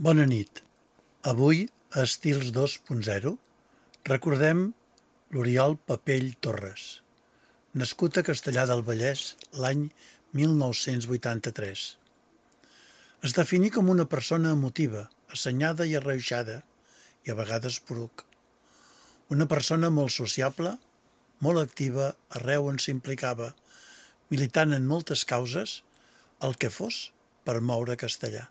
Bona nit. Avui, a Estils 2.0, recordem l'Oriol Papell Torres, nascut a Castellar del Vallès l'any 1983. Es definí com una persona emotiva, assenyada i arreuixada, i a vegades poruc. Una persona molt sociable, molt activa arreu on s'implicava, militant en moltes causes, el que fos per moure castellà.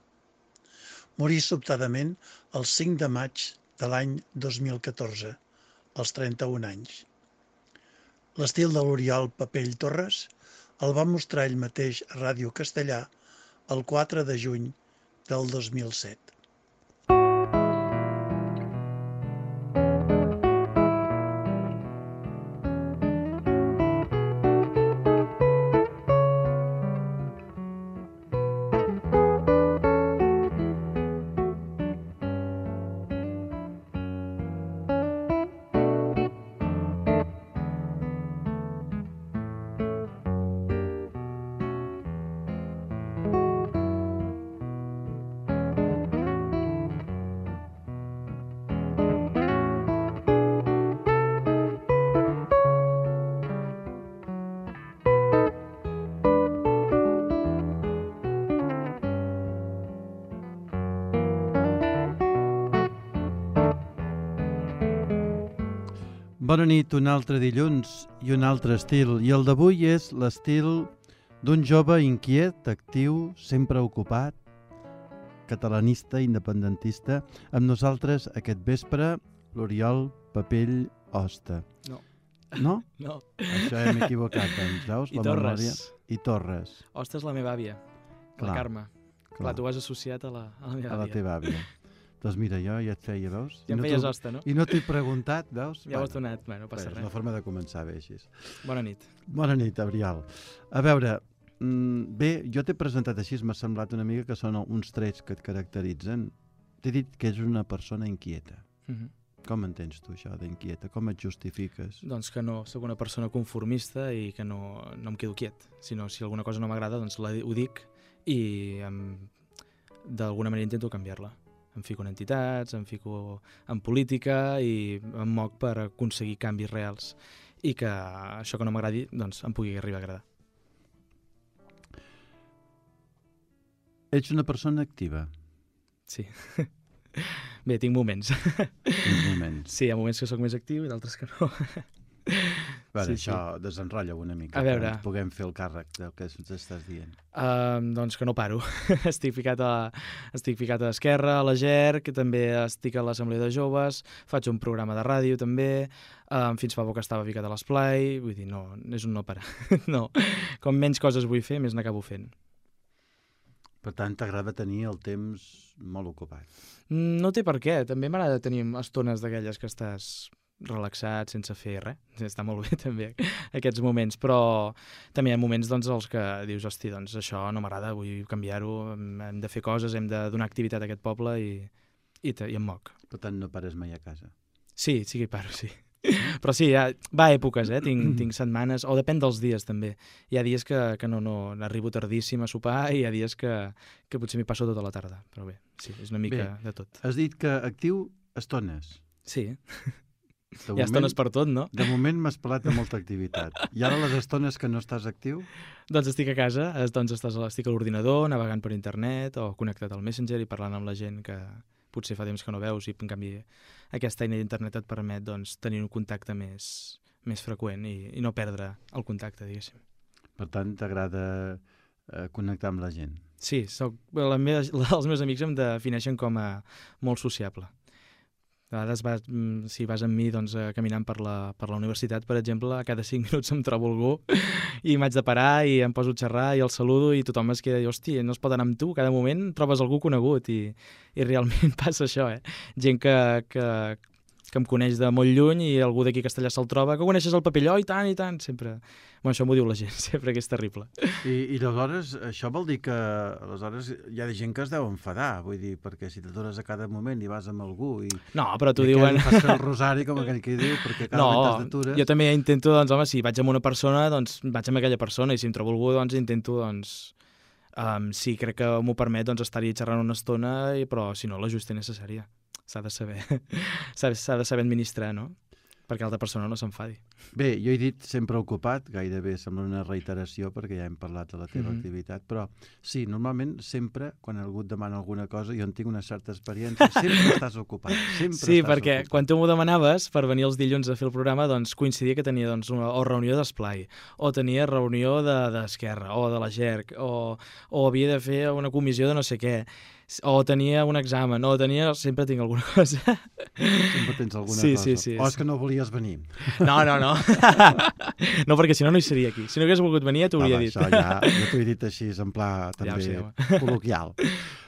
Morí sobtadament el 5 de maig de l'any 2014, als 31 anys. L'estil de l'Oriol Papell Torres el va mostrar ell mateix a Ràdio Castellà el 4 de juny del 2007. Bona nit, un altre dilluns i un altre estil. I el d'avui és l'estil d'un jove inquiet, actiu, sempre ocupat, catalanista, independentista. Amb nosaltres aquest vespre, l'Oriol Papell Hoste. No. No? No. Això hem equivocat, doncs, veus? I la Torres. memòria. I Torres. Hoste és la meva àvia, Clar, la Carme. clar. Tu has associat a la meva A la àvia. teva àvia. Doncs mira, jo ja et feia, veus? Ja em I no feies t'ho- hoste, no? I no t'he preguntat, veus? Ja ho has donat, bueno, passa És res. una forma de començar bé així. Bona nit. Bona nit, Abrial. A veure, bé, jo t'he presentat així, m'ha semblat una mica que són uns trets que et caracteritzen. T'he dit que és una persona inquieta. Com entens tu això d'inquieta? Com et justifiques? Doncs que no sóc una persona conformista i que no em quedo quiet. Sinó, si alguna cosa no m'agrada, doncs ho dic i d'alguna manera intento canviar-la. Em fico en entitats, em fico en política i em moc per aconseguir canvis reals i que això que no m'agradi doncs em pugui arribar a agradar. Ets una persona activa, Sí. Bé, tinc moments. en moments. Sí, hi ha moments que sóc més actiu i d'altres que no. Bueno, sí, això desenrotlla una mica, A veure. que ens puguem fer el càrrec del que ens estàs dient. Doncs que no paro. estic ficat a Esquerra, a la GER, que també estic a l'Assemblea de Joves, faig un programa de ràdio també, fins fa poc estava ficat a l'Esplai, vull dir, no, és un no parar. No, com menys coses vull fer, més n'acabo fent. Per tant, t'agrada tenir el temps molt ocupat. No té per què, també m'agrada tenir estones d'aquelles que estàs relaxat, sense fer res. Està molt bé també aquests moments, però també hi ha moments doncs, els que dius, hosti, doncs això no m'agrada, vull canviar-ho, hem de fer coses, hem de donar activitat a aquest poble i em moc. Per tant, no pares mai a casa. Sí que hi paro, sí. Però sí, va a èpoques, tinc setmanes, o depèn dels dies també. Hi ha dies que no arribo tardíssim a sopar i hi ha dies que potser m'hi passo tota la tarda, però bé, sí, és una mica de tot. Has dit que actiu estones. Sí, De hi ha estones per tot, no? De moment m'has parlat de molta activitat. I ara les estones que no estàs actiu? Doncs estic a casa, estic a l'ordinador, navegant per internet o connectat al Messenger i parlant amb la gent que potser fa temps que no veus i en canvi aquesta eina d'internet et permet doncs, tenir un contacte més freqüent i no perdre el contacte, diguéssim. Per tant, t'agrada connectar amb la gent. Sí, els meus amics em defineixen com a molt sociable. A vegades, si vas amb mi doncs, caminant per la universitat, per exemple, a cada 5 minuts em trobo algú i m'haig de parar i em poso a xerrar i el saludo i tothom es queda i, hòstia, no es pot anar amb tu, cada moment trobes algú conegut i realment passa això, Gent que em coneix de molt lluny i algú d'aquí a Castellà se'l troba, que coneixes el Papelló i tant, sempre. Bueno, això m'ho diu la gent, sempre, que és terrible. I aleshores, això vol dir que aleshores hi ha gent que es deu enfadar, vull dir, perquè si t'adores a cada moment i vas amb algú i... No, però t'ho i diuen... fas fer el rosari, com aquell que diu, perquè cada moment t'atures... Jo també intento, doncs, home, si vaig amb una persona, doncs vaig amb aquella persona, i si em trobo algú, doncs intento, doncs, Sí, crec que m'ho permet doncs, estar-hi xerrant una estona, però si no, l'ajust és necessària. S'ha de saber, s'ha de saber administrar, no? Perquè l'altra persona no s'enfadi. Bé, jo he dit sempre ocupat, gairebé sembla una reiteració perquè ja hem parlat de la teva activitat, però sí, normalment sempre, quan algú et demana alguna cosa, jo en tinc una certa experiència, sempre estàs ocupat, sempre sí, estàs perquè ocupat. quan tu m'ho demanaves per venir els dilluns a fer el programa, doncs coincidia que tenia doncs, o reunió d'esplai, o tenia reunió d'Esquerra, o de la GERC, o havia de fer una comissió de no sé què, o tenia un examen, o tenia... Sempre tinc alguna cosa. Sempre tens alguna cosa. Sí. O és que no volies venir. No. No, perquè si no, no hi seria aquí. Si no hagués volgut venir, ja t'ho hauria dit. Això ja t'ho he dit així, en pla també col·loquial.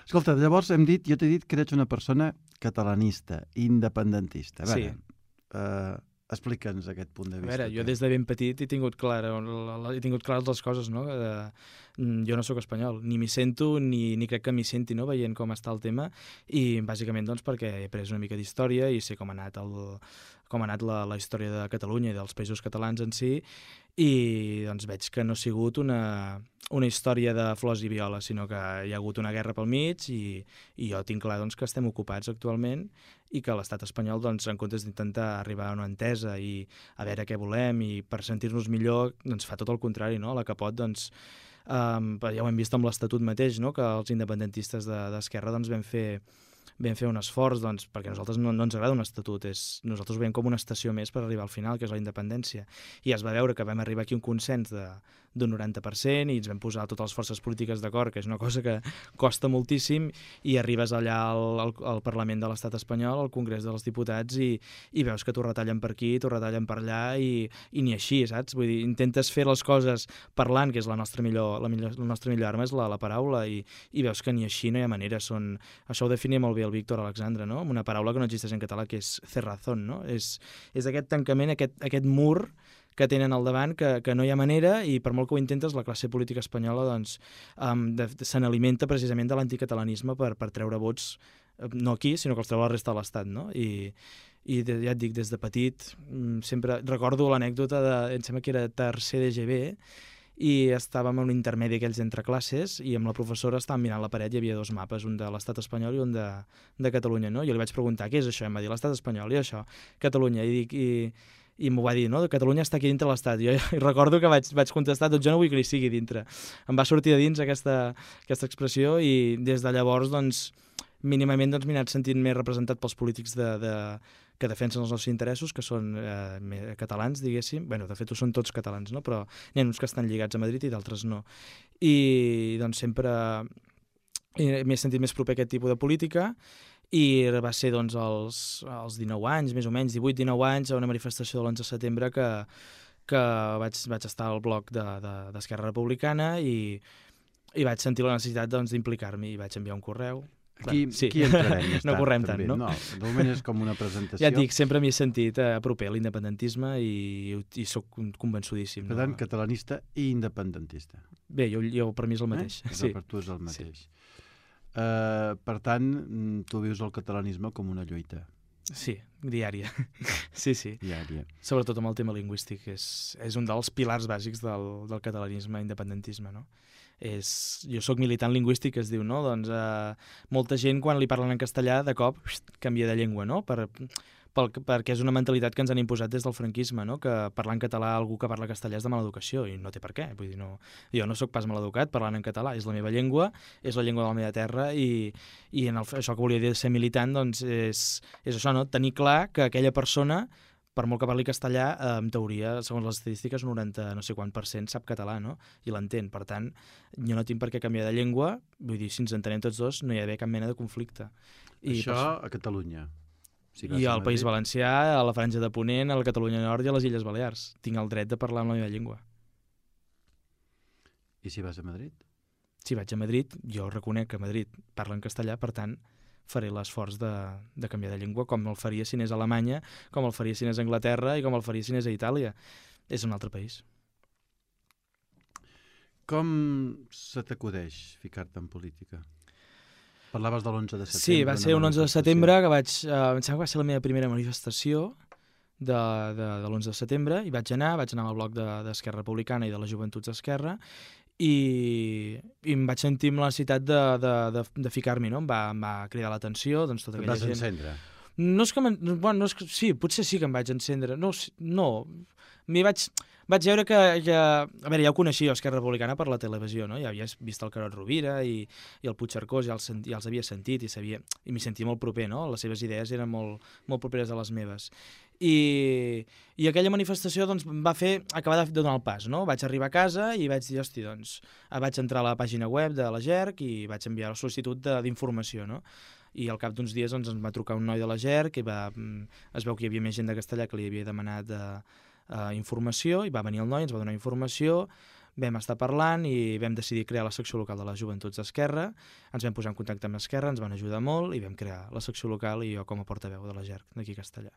Escolta, llavors jo t'he dit que eres una persona catalanista, independentista. A veure, explica'ns aquest punt de vista. A veure, jo des de ben petit he tingut clares les coses, no? Jo no sóc espanyol, ni m'hi sento, ni crec que m'hi senti, no?, veient com està el tema, i bàsicament doncs, perquè he après una mica d'història i sé com ha anat la història de Catalunya i dels països catalans en si, i doncs veig que no ha sigut una història de flors i violes, sinó que hi ha hagut una guerra pel mig i jo tinc clar doncs, que estem ocupats actualment i que l'estat espanyol, doncs, en comptes d'intentar arribar a una entesa i a veure què volem i per sentir-nos millor, doncs fa tot el contrari, no? A la que pot, doncs, ja ho hem vist amb l'Estatut mateix, no?, que els independentistes d'Esquerra doncs, vam fer un esforç, doncs, perquè a nosaltres no ens agrada un estatut, nosaltres ho veiem com una estació més per arribar al final, que és la independència. I es va veure que vam arribar aquí a un consens d'un 90% i ens vam posar totes les forces polítiques d'acord, que és una cosa que costa moltíssim, i arribes allà al Parlament de l'Estat espanyol, al Congrés dels Diputats, i veus que t'ho retallen per aquí, t'ho retallen per allà, i ni així, saps? Vull dir, intentes fer les coses parlant, que és la nostra millor arma, és la paraula, i veus que ni així no hi ha manera. Això ho definia molt bé el Víctor Alexandre, no?, amb una paraula que no existeix en català, que és cerrazón, no? És aquest tancament, aquest mur que tenen al davant, que no hi ha manera, i per molt que ho intentes, la classe política espanyola doncs, se n'alimenta precisament de l'anticatalanisme per treure vots, no aquí, sinó que els treu a la resta de l'Estat, no? I ja et dic, des de petit, sempre recordo l'anècdota em sembla que era tercer d'EGB, i estàvem en un intermedi aquells entre classes i amb la professora estàvem mirant la paret, hi havia dos mapes, un de l'Estat espanyol i un de Catalunya, no? Jo li vaig preguntar, què és això? I em va dir, l'Estat espanyol, i això, Catalunya, i m'ho va dir, no? Catalunya està aquí dintre l'Estat. Jo recordo que vaig contestar, doncs jo no vull que hi sigui dintre. Em va sortir de dins aquesta expressió, i des de llavors, doncs, mínimament m'he anat sentint més representat pels polítics que defensen els nostres interessos, que són catalans, diguéssim. Bé, de fet, són tots catalans, no? Però n'hi ha uns que estan lligats a Madrid i d'altres no. I doncs sempre m'he sentit més proper a aquest tipus de política, i va ser doncs, als 19 anys, més o menys, 18-19 anys, a una manifestació de l'11 de setembre que vaig estar al bloc d'Esquerra Republicana i vaig sentir la necessitat doncs, d'implicar-m'hi, i vaig enviar un correu. Aquí entrarem més tard. No correm tant, no? No, de moment és com una presentació. Ja et dic, sempre m'hi he sentit proper a l'independentisme i soc convençudíssim. Per tant, catalanista i independentista. Bé, jo per mi és el mateix. Sí. Per tu és el mateix. Sí. Per tant, tu vius el catalanisme com una lluita. Sí, diària. Sí. Diària. Sobretot amb el tema lingüístic. És un dels pilars bàsics del catalanisme i independentisme, no? Jo soc militant lingüístic, es diu, no? Doncs molta gent, quan li parlen en castellà, de cop canvia de llengua, no? Perquè és una mentalitat que ens han imposat des del franquisme, no? Que parlar en català a algú que parla castellà és de mala educació, i no té per què. Vull dir, no, jo no sóc pas maleducat parlant en català, és la meva llengua, és la llengua de la meva terra, i això que volia dir de ser militant doncs és això, no? Tenir clar que aquella persona, per molt que parli castellà, en teoria, segons les estadístiques, un 90 no sé quant % sap català, no? I l'entén. Per tant, jo no tinc per què canviar de llengua, vull dir, si ens entenem tots dos, no hi ha d'haver cap mena de conflicte. Això a Catalunya. I al País Valencià, a la Franja de Ponent, a la Catalunya Nord i a les Illes Balears. Tinc el dret de parlar amb la meva llengua. I si vas a Madrid? Si vaig a Madrid, jo reconec que a Madrid parlen castellà, per tant, faré l'esforç de canviar de llengua, com el faria si anés a Alemanya, com el faria si anés a Anglaterra i com el faria si anés a Itàlia. És un altre país. Com se t'acudeix ficar-te en política? Parlaves de l'11 de setembre. Sí, va ser un 11 de setembre que em sembla que va ser la meva primera manifestació de l'11 de setembre, i vaig anar amb el bloc d'Esquerra Republicana i de les Joventuts d'Esquerra, i em vaig sentir amb la necessitat de ficar-m'hi, no? Em va cridar l'atenció, doncs tota Et aquella vas gent. encendre? No és que... Bueno, no és que, sí, potser sí que em vaig encendre. No, no. Vaig veure que... A veure, ja ho coneixia, Esquerra Republicana, per la televisió, no? Ja havia vist el Carod Rovira i el Puigcercós, ja els havia sentit i m'hi sentia molt proper, no? Les seves idees eren molt, molt properes a les meves. I aquella manifestació doncs, va fer acabar de donar el pas, no? Vaig arribar a casa i vaig dir, hosti, doncs, vaig entrar a la pàgina web de la GERC i vaig enviar la sol·licitud d'informació, no? I al cap d'uns dies doncs, ens va trucar un noi de la GERC i es veu que hi havia més gent de Castellà que li havia demanat informació, i va venir el noi, ens va donar informació, vam estar parlant i vam decidir crear la secció local de les Joventuts d'Esquerra, ens vam posar en contacte amb Esquerra, ens van ajudar molt i vam crear la secció local i jo com a portaveu de la GERC d'aquí a Castellà.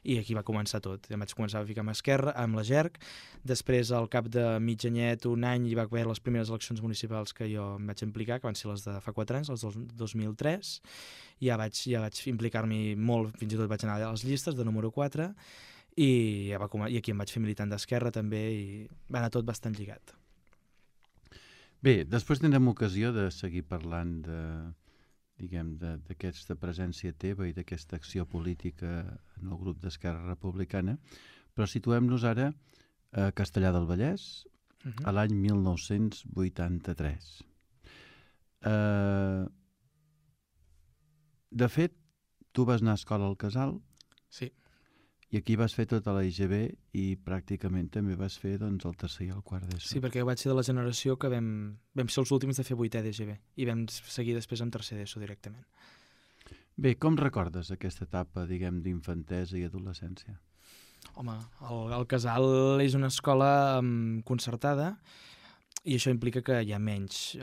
I aquí va començar tot. Em vaig començar a ficar amb Esquerra, amb la GERC, després al cap de mig anyet, un any, hi va haver les primeres eleccions municipals que jo em vaig implicar, que van ser les de fa 4 anys, les del 2003, ja vaig implicar-m'hi molt, fins i tot vaig anar a les llistes de número 4, i aquí em vaig fer militant d'Esquerra també i va anar tot bastant lligat. Bé, després tindrem ocasió de seguir parlant d'aquesta presència teva i d'aquesta acció política en el grup d'Esquerra Republicana, però situem-nos ara a Castellar del Vallès, a l'any 1983. De fet, tu vas anar a escola al Casal. Sí. I aquí vas fer tota la IGB i pràcticament també vas fer doncs, el tercer i el quart d'ESO. Sí, perquè vaig ser de la generació que vam ser els últims de fer 8è d'IGB i vam seguir després amb tercer d'ESO directament. Bé, com recordes aquesta etapa, diguem, d'infantesa i adolescència? Home, el Casal és una escola concertada i això implica que hi ha menys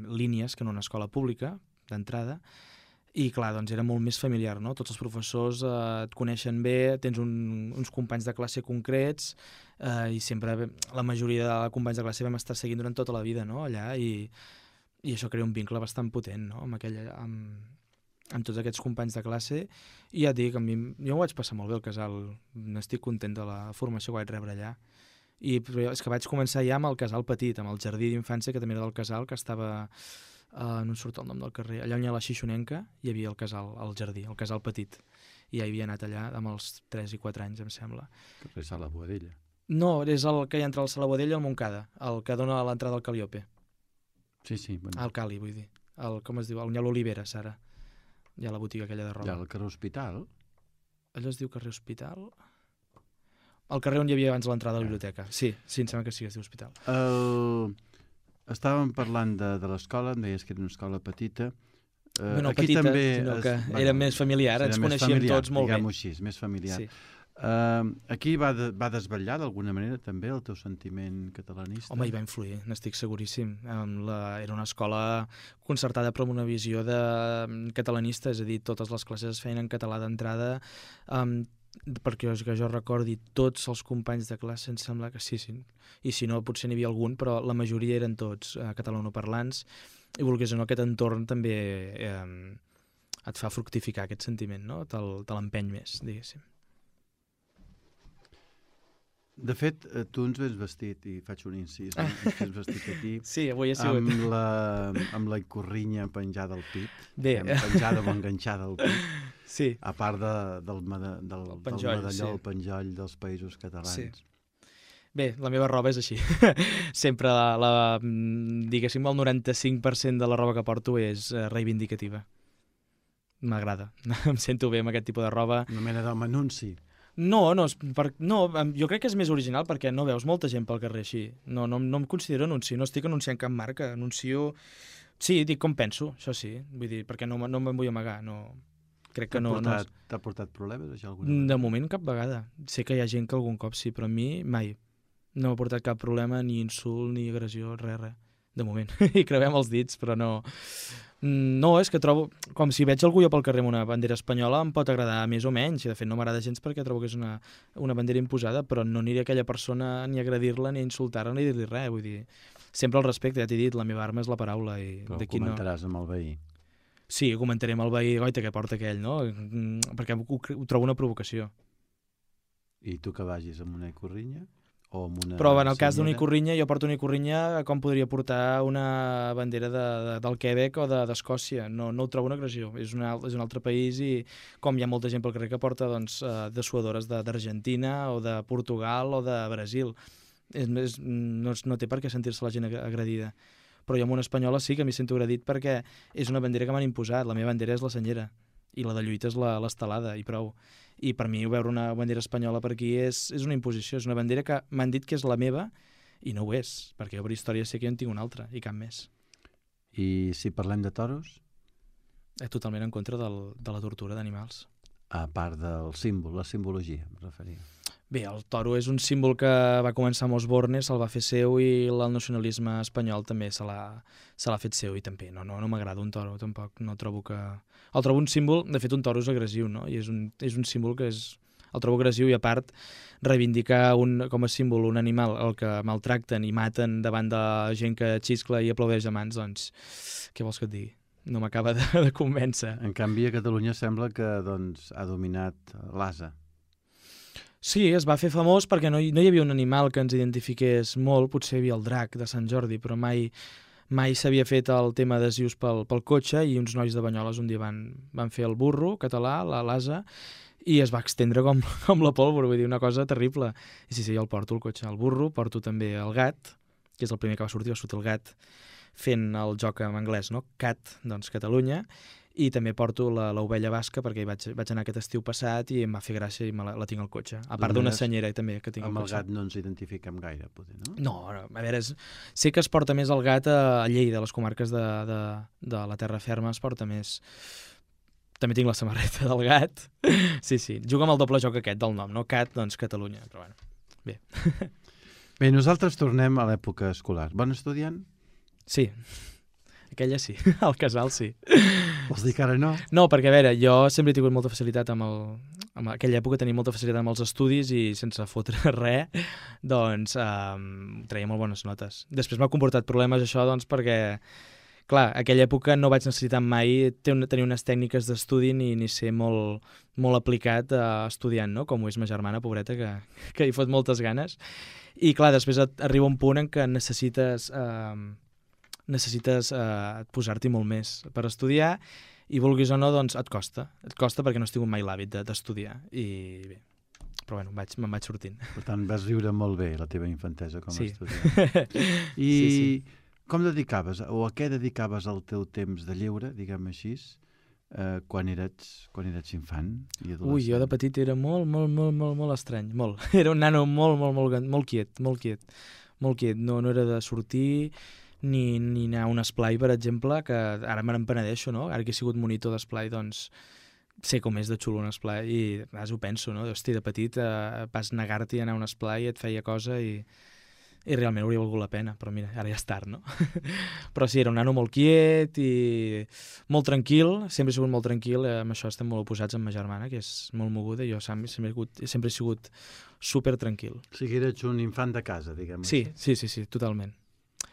línies que en una escola pública, d'entrada, i clar, doncs era molt més familiar, no? Tots els professors et coneixen bé, tens uns companys de classe concrets i sempre la majoria de companys de classe vam estar seguint durant tota la vida, no? Allà, i això crea un vincle bastant potent, no? Amb tots aquests companys de classe, i ja et dic, jo m'ho vaig passar molt bé al Casal, n'estic content de la formació que vaig rebre allà. Però és que vaig començar ja amb el Casal petit, amb el jardí d'infància, que també era del Casal, que estava... no em surt el nom del carrer, allà on hi ha la Xixonenca hi havia el Casal, el jardí, el Casal petit, i ja hi havia anat allà amb els 3 i 4 anys, em sembla. Carrer Sala Boadella. No, és el que hi ha entre el Sala Boadella i el Montcada, el que dona a l'entrada al Caliope. Sí, sí. Bueno. El Cali, vull dir. Com es diu? On hi ha l'Olivera, Sara. Hi ha la botiga aquella de roba. Hi ha el carrer Hospital. Allò es diu carrer Hospital? El carrer on hi havia abans l'entrada a la biblioteca. Sí, em sembla que sí que es diu Hospital. Estàvem parlant de l'escola, em deies que era una escola petita. No petita, també sinó que era més familiar, ens coneixíem tots molt bé. Diguem-ho així, més familiar. Sí. Aquí va desvetllar d'alguna manera també el teu sentiment catalanista? Home, hi va influir, n'estic seguríssim. Era una escola concertada però amb una visió catalanista, és a dir, totes les classes es feien en català d'entrada, perquè que jo recordi tots els companys de classe, em sembla que sí, i si no potser n'hi havia algun, però la majoria eren tots catalanoparlants, i volgués o no aquest entorn també et fa fructificar aquest sentiment, no? Te l'empeny més, diguéssim. De fet, tu ens vens vestit, i faig un incís, ens vens vestit aquí, sí, avui ha sigut amb la icorrinya penjada al pit, penjada o enganxada al pit, sí. A part del medalló, el penjoll dels països catalans. Sí. Bé, la meva roba és així. Sempre, diguéssim, el 95% de la roba que porto és reivindicativa. M'agrada. Em sento bé amb aquest tipus de roba. Una mena d'home anunci. No, jo crec que és més original perquè no veus molta gent pel carrer així. No em considero anunci, no estic anunciant cap marca, anuncio... Sí, dic com penso, això sí, vull dir, perquè no me'n vull amagar, no... Crec que no... T'ha portat problemes, això, alguna vegada? De moment, cap vegada. Sé que hi ha gent que algun cop sí, però a mi mai. No m'ha portat cap problema, ni insult, ni agressió, res. De moment. I creuem els dits, però no... No, és que trobo... Com si veig algú jo pel carrer amb una bandera espanyola em pot agradar més o menys, i de fet no m'agrada gens perquè trobo que és una bandera imposada, però no aniré a aquella persona ni a agredir-la, ni a insultar-la, ni a dir-li res, vull dir... Sempre al respecte, ja t'he dit, la meva arma és la paraula. Però ho comentaràs amb el veí. Sí, ho comentaré amb el veí, goita, que porta aquell, no? Perquè ho trobo una provocació. I tu que vagis amb una icorrinya? o amb una Però en el cas d'una senyera? ikurrinya, jo porto una ikurrinya com podria portar una bandera del Quebec o d'Escòcia. No ho trobo una agressió. És un altre país i com hi ha molta gent pel carrer que porta dessuadores d'Argentina o de Portugal o de Brasil. No té per què sentir-se la gent agredida. Però jo amb una espanyola sí que m'hi sento agredit perquè és una bandera que m'han imposat. La meva bandera és la senyera i la de lluita és l'estelada i prou. I per mi veure una bandera espanyola per aquí és una imposició, és una bandera que m'han dit que és la meva i no ho és, perquè jo per història sé que jo en tinc una altra i cap més. I si parlem de toros? Totalment en contra de la tortura d'animals. A part del símbol, la simbologia, em referia. Bé, el toro és un símbol que va començar amb Osborne, se'l va fer seu i el nacionalisme espanyol també se l'ha fet seu i també no m'agrada un toro, tampoc, no trobo que... El trobo un símbol, de fet un toro és agressiu, no? I és un símbol que el trobo agressiu i a part reivindicar com a símbol un animal el que maltracten i maten davant de gent que xiscla i aplaudeix a mans, doncs què vols que et digui? No m'acaba de convèncer. En canvi, a Catalunya sembla que ha dominat l'ase. Sí, es va fer famós perquè no hi havia un animal que ens identifiqués molt, potser hi havia el drac de Sant Jordi, però mai s'havia fet el tema adhesius pel cotxe i uns nois de Banyoles un dia van fer el burro català, l'ase, i es va extendre com la pólvora, vull dir, una cosa terrible. I sí, jo el porto el cotxe, el burro, porto també el gat, que és el primer que va sortir el gat fent el joc en anglès, no? Cat, doncs Catalunya, i també porto l'ovella basca perquè vaig anar aquest estiu passat i em va fer gràcia i la tinc al cotxe. A part d'una senyera també que tinc al cotxe. Amb el gat no ens identifiquem gaire, potser, no? No, a veure, sé que es porta més el gat a Lleida, a les comarques de la terra ferma es porta més. També tinc la samarreta del gat. Sí, juga amb el doble joc aquest del nom, no? Cat, doncs Catalunya, però bueno, bé. Bé, nosaltres tornem a l'època escolar. Bon estudiant? Sí. Aquella sí, al casal sí. Vols dir que ara no? No, perquè a veure, jo sempre he tingut molta facilitat en aquella època tenia molta facilitat amb els estudis i sense fotre res, doncs treia molt bones notes. Després m'ha comportat problemes això, doncs, perquè, clar, aquella època no vaig necessitar mai tenir unes tècniques d'estudi ni ser molt aplicat estudiant, no? Com ho és ma germana, pobreta, que hi fot moltes ganes. I, clar, després arriba un punt en què necessites posar-t'hi molt més per estudiar i vulguis o no, doncs et costa perquè no has tingut mai l'hàbit d'estudiar i bé, però bueno, me'n vaig sortint. Per tant, vas viure molt bé la teva infantesa com a sí. estudiant. I sí. Com dedicaves o a què dedicaves el teu temps de lleure, diguem així, quan eres infant i adolescent? Ui, jo de petit era molt estrany, molt. Era un nano molt quiet. No era de sortir ni anar a un esplai, per exemple, que ara me n'empenedeixo, no? Ara que he sigut monitor d'esplai, doncs sé com és de xulo un esplai i a vegades ho penso, no? Hosti, de petit vas negar-t'hi a anar a un esplai, et feia cosa i realment hauria valgut la pena, però mira, ara ja és tard, no? Però sí, era un nano molt quiet i molt tranquil, sempre he sigut molt tranquil, amb això estem molt oposats amb ma germana, que és molt moguda, i jo sempre he sigut super tranquil. O sigui, eres un infant de casa, diguem així. Sí, sí, totalment.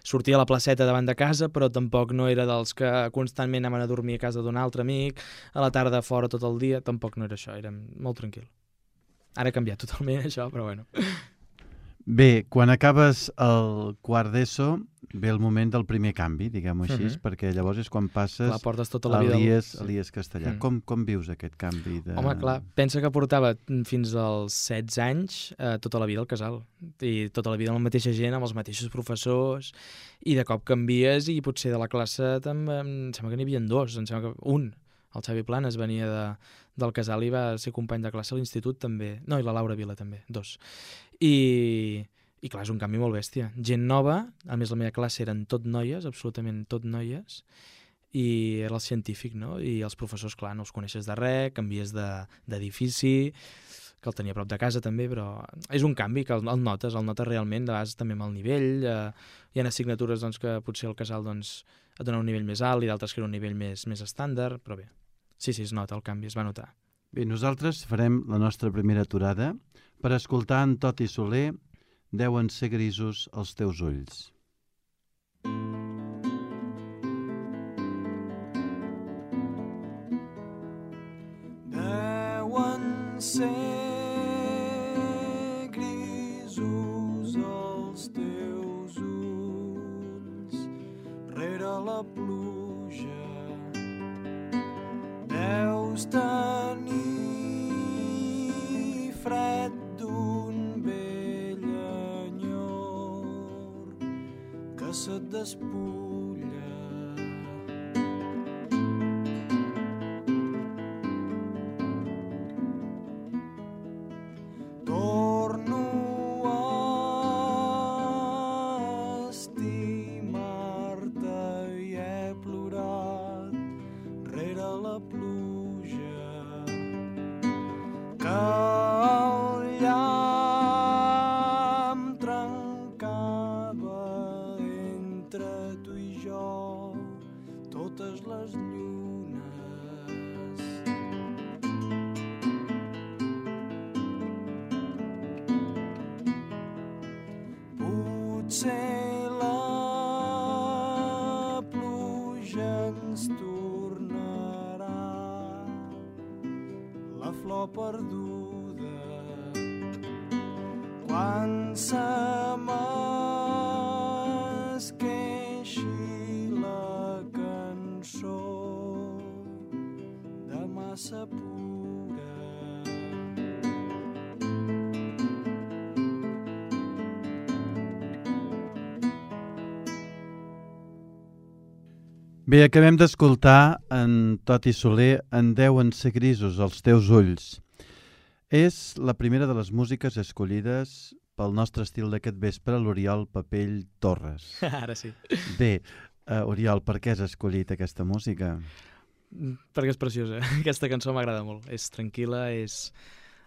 Sortia a la placeta davant de casa, però tampoc no era dels que constantment anaven a dormir a casa d'un altre amic, a la tarda fora tot el dia, tampoc no era això, era molt tranquil. Ara ha canviat totalment això, però bueno. Bé, quan acabes el quart d'ESO ve el moment del primer canvi, diguem-ho així, perquè llavors és quan passes clar, portes tota la vida a l'IES Castellà. Com vius aquest canvi? Home, clar, pensa que portava fins als 16 anys tota la vida al casal i tota la vida amb la mateixa gent, amb els mateixos professors i de cop canvies i potser de la classe em sembla que n'hi havia dos, em sembla que un, el Xavi Planes venia del casal i va ser company de classe a l'institut també, no, i la Laura Vila també, dos. I clar, és un canvi molt bèstia. Gent nova, a més la meva classe eren tot noies, absolutament tot noies, i era el científic, no? I els professors, clar, no els coneixes de res, canvies d'edifici, que el tenia a prop de casa també, però és un canvi que el notes realment, de vegades també amb el nivell, hi ha assignatures doncs, que potser el casal doncs, et dona un nivell més alt i d'altres que era un nivell més estàndard, però bé, sí, es nota el canvi, es va notar. Bé, nosaltres farem la nostra primera aturada per escoltar en Toti Soler Deuen ser grisos els teus ulls. Deuen ser grisos la pluja. Deus tenir fred d'un vell enyor que se't despulla. Torno a estimar-te i he plorat rere la pluja que el llamp trencava entre tu i jo totes les llunes. Potser la pluja ens tornarà la flor perduda quan se m'esqueixi la cançó de massa pura. Bé, acabem d'escoltar en Toti Soler En deuen ser grisos els teus ulls. És la primera de les músiques escollides pel nostre estil d'aquest vespre, l'Oriol Papell Torres. Ara sí. Bé, Oriol, per què has escollit aquesta música? Perquè és preciosa. Aquesta cançó m'agrada molt. És tranquil·la, és...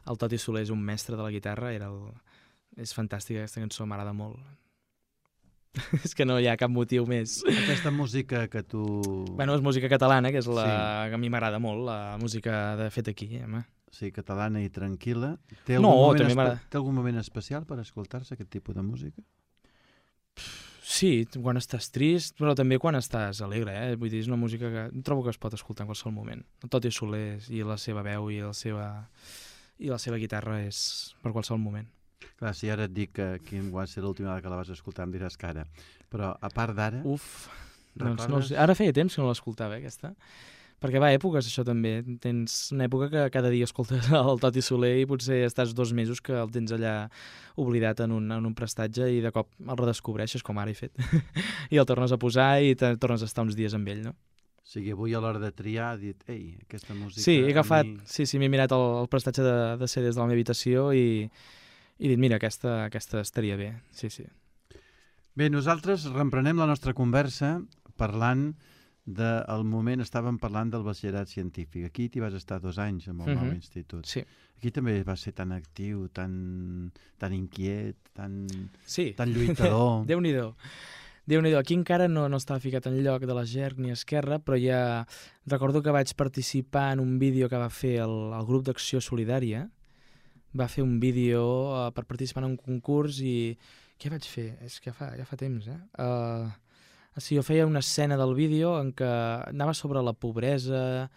El Toti Soler és un mestre de la guitarra, és fantàstica, aquesta cançó m'agrada molt. És que no hi ha cap motiu més. Aquesta música que tu... Bueno, és música catalana, que és la Sí. que a mi m'agrada molt, la música de fet aquí, home. Sí, catalana i tranquil·la. Té No, algun moment també m'agrada. té algun moment especial per escoltar-se aquest tipus de música? Sí, quan estàs trist, però també quan estàs alegre, eh? Vull dir, és una música que trobo que es pot escoltar en qualsevol moment. El Toti Soler i la seva veu i la seva guitarra és per qualsevol moment. Clar, si ara et dic que quin va ser l'última vegada que la vas escoltar em diràs que ara. Però a part d'ara... Uf, doncs no recordes? sé. Ara feia temps que no l'escoltava, aquesta. Perquè va a èpoques, això també. Tens una època que cada dia escoltes el Toti Soler i potser estàs 2 mesos que el tens allà oblidat en un prestatge i de cop el redescobreixes, com ara he fet. I el tornes a posar i tornes a estar uns dies amb ell, no? O sigui, avui a l'hora de triar he dit, ei, aquesta música... Sí, he agafat, a mi... sí, m'he mirat el prestatge de CDs de la meva habitació i he dit, mira, aquesta estaria bé, sí. Bé, nosaltres reemprenem la nostra conversa parlant del moment, estàvem parlant del batxillerat científic. Aquí t'hi vas estar 2 anys amb el nou institut. Sí. Aquí també vas ser tan actiu, tan inquiet, tan Sí. lluitador. Déu-n'hi-do. Aquí encara no estava ficat en lloc de l'Esgern ni Esquerra, però ja recordo que vaig participar en un vídeo que va fer el grup d'Acció Solidària. Va fer un vídeo per participar en un concurs i... Què vaig fer? És que ja fa temps, Sí, jo feia una escena del vídeo en què anava sobre la pobresa,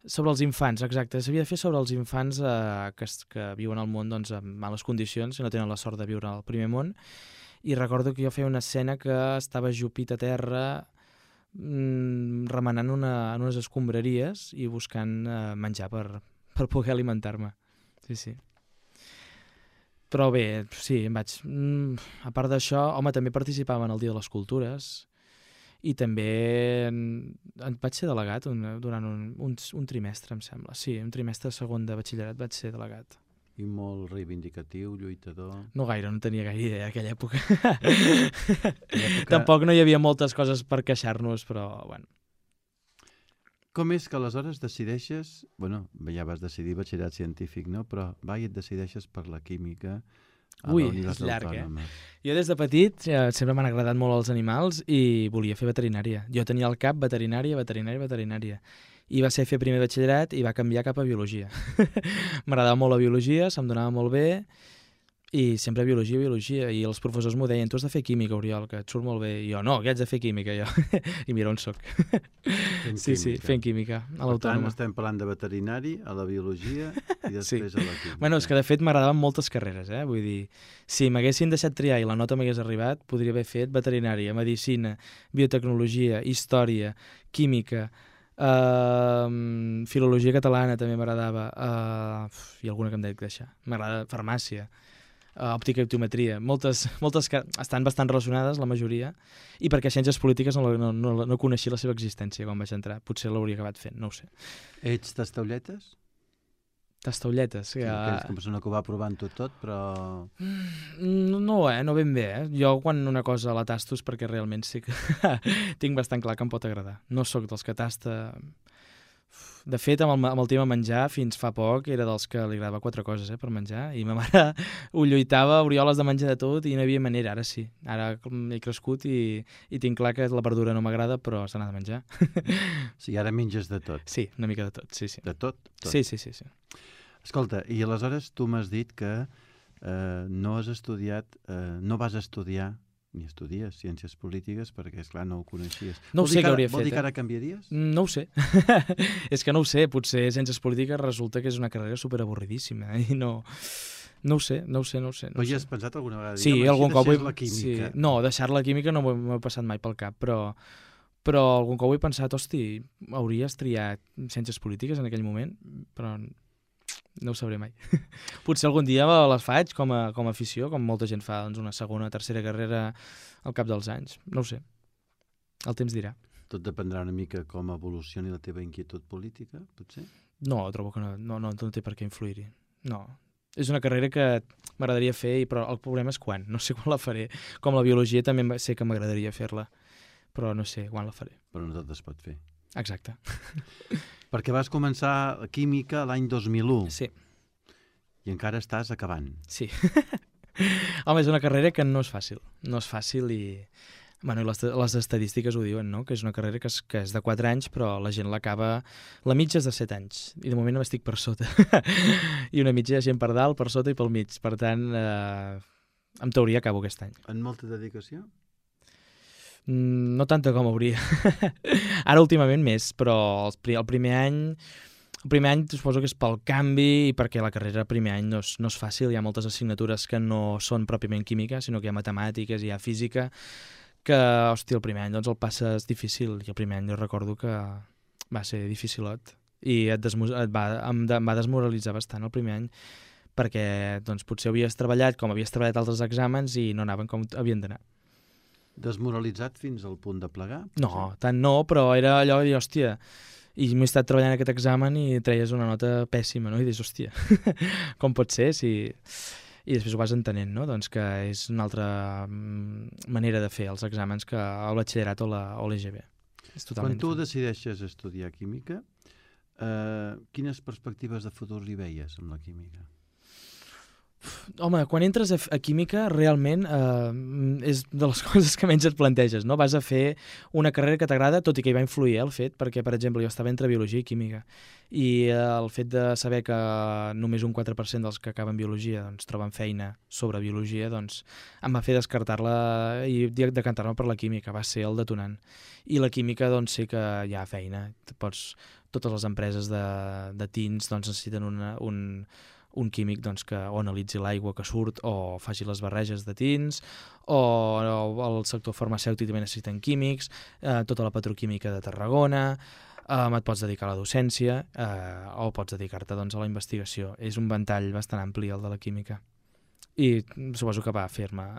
sobre els infants, exacte. S'havia de fer sobre els infants que viuen al món doncs, en males condicions i no tenen la sort de viure al primer món. I recordo que jo feia una escena que estava jupit a terra remenant en unes escombraries i buscant menjar per poder alimentar-me. Sí. Però bé, sí, em vaig... A part d'això, home, també participava en el Dia de les Cultures i també vaig ser delegat durant un trimestre, em sembla. Sí, un trimestre segon de batxillerat vaig ser delegat. I molt reivindicatiu, lluitador... No gaire, no tenia gaire idea aquella època. Tampoc no hi havia moltes coses per queixar-nos, però bueno. Com és que aleshores decideixes... Bueno, ja vas decidir batxillerat científic, no? Però i et decideixes per la química a la Universitat Autònoma. Jo des de petit sempre m'han agradat molt els animals i volia fer veterinària. Jo tenia al cap veterinària. I va ser fer primer batxillerat i va canviar cap a biologia. M'agradava molt la biologia, se'm donava molt bé I sempre biologia, i els professors m'ho deien, tu has de fer química, Oriol, que et surt molt bé. I jo, no, que haig de fer química, jo. I mira on soc. Sí, fent química, a Per tant, l'Autònoma. estem parlant de veterinari, a la biologia i després a la química. Bueno, és que de fet m'agradaven moltes carreres, vull dir, si m'haguessin deixat triar i la nota m'hagués arribat, podria haver fet veterinària, medicina, biotecnologia, història, química, filologia catalana també m'agradava, i alguna que em dec deixar. M'agrada farmàcia, òptica i optometria, moltes que estan bastant relacionades, la majoria, i perquè ciències polítiques no coneixia la seva existència quan vaig entrar. Potser l'hauria acabat fent, no ho sé. Ets tastaulletes? Tastaulletes. Sí, aquells com persona que ho va provant tot, però... No ben bé. Jo quan una cosa la tasto és perquè realment sí que tinc bastant clar que em pot agradar. No sóc dels que tasta... De fet, amb el tema menjar, fins fa poc, era dels que li agradava 4 coses per menjar, i ma mare ho lluitava, Oriol, has de menjar de tot, i no hi havia manera, ara sí. Ara he crescut i tinc clar que la verdura no m'agrada, però se n'ha de menjar. Sí, ara menges de tot. Sí, una mica de tot, sí. De tot? Sí. Escolta, i aleshores tu m'has dit que no has estudiat, no vas estudiar ni estudies ciències polítiques perquè, esclar, no ho coneixies. No ho sé què hauria fet. Vol dir que ara canviaries? No ho sé. És que no ho sé. Potser ciències polítiques resulta que és una carrera superavorridíssima i no ho sé. Però ja has pensat alguna vegada? Sí, algun cop la química. Sí. No, deixar la química no m'ho he passat mai pel cap, però algun cop he pensat, hosti, hauries triat ciències polítiques en aquell moment, però no ho sabré mai. Potser algun dia les faig com a afició, com molta gent fa una segona o tercera carrera al cap dels anys. No ho sé. El temps dirà. Tot dependrà una mica com evolucioni la teva inquietud política, potser? No, trobo que no té per què influir-hi. No. És una carrera que m'agradaria fer, però el problema és quan. No sé quan la faré. Com la biologia també sé que m'agradaria fer-la, però no sé quan la faré. Però no tot es pot fer. Exacte. Perquè vas començar química l'any 2001. Sí. I encara estàs acabant. Sí. Home, és una carrera que no és fàcil. No és fàcil i... Bueno, i les estadístiques ho diuen, no? Que és una carrera que és de 4 anys, però la gent l'acaba... La mitja és de 7 anys. I de moment m'estic per sota. I una mitja gent per dalt, per sota i pel mig. Per tant, en teoria acabo aquest any. En molta dedicació? No tanta com hauria. Ara últimament més, però el primer any suposo que és pel canvi i perquè la carrera primer any no és fàcil, hi ha moltes assignatures que no són pròpiament química, sinó que hi ha matemàtiques, hi ha física, que, hòstia, el primer any doncs el passes difícil, i el primer any jo recordo que va ser dificilot, i em va desmoralitzar bastant el primer any, perquè doncs, potser havies treballat com havies treballat altres exàmens i no anaven com havien d'anar. Desmoralitzat fins al punt de plegar? No, tant no, però era allò de dir, hòstia, i m'he estat treballant aquest examen i treies una nota pèssima, no? I dius, hòstia, com pot ser? I després ho vas entenent, no? Doncs que és una altra manera de fer els exàmens que el batxillerat o l'EGB. Quan tu decideixes estudiar química, quines perspectives de futur li veies amb la química? Home, quan entres a química, realment és de les coses que menys et planteges, no? Vas a fer una carrera que t'agrada, tot i que hi va influir el fet, perquè, per exemple, jo estava entre biologia i química, i el fet de saber que només un 4% dels que acaben biologia doncs, troben feina sobre biologia, doncs em va fer descartar-la i decantar-me per la química, va ser el detonant. I la química, doncs, sé que hi ha feina. Totes les empreses de tints doncs, necessiten un químic doncs, que o analitzi l'aigua que surt o faci les barreges de tints, o el sector farmacèutic també necessiten químics, tota la petroquímica de Tarragona, et pots dedicar a la docència o pots dedicar-te doncs, a la investigació. És un ventall bastant ampli el de la química. I suposo que va fer-me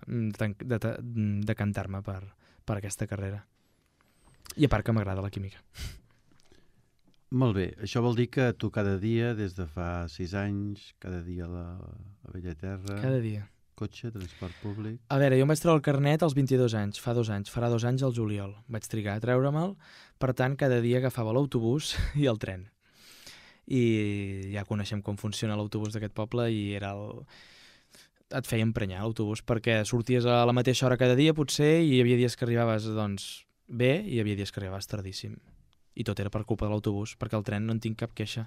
decantar-me per aquesta carrera. I a part que m'agrada la química. Molt bé, això vol dir que tu cada dia, des de fa 6 anys, cada dia a la Bella Terra... Cada dia. Cotxe, transport públic... A veure, jo em vaig treure el carnet als 22 anys, fa 2 anys, farà 2 anys al juliol. Vaig trigar a treure'l, per tant, cada dia agafava l'autobús i el tren. I ja coneixem com funciona l'autobús d'aquest poble i era et feia emprenyar l'autobús, perquè sorties a la mateixa hora cada dia, potser, i hi havia dies que arribaves doncs, bé i hi havia dies que arribaves tardíssim. I tot era per culpa de l'autobús, perquè el tren no en tinc cap queixa.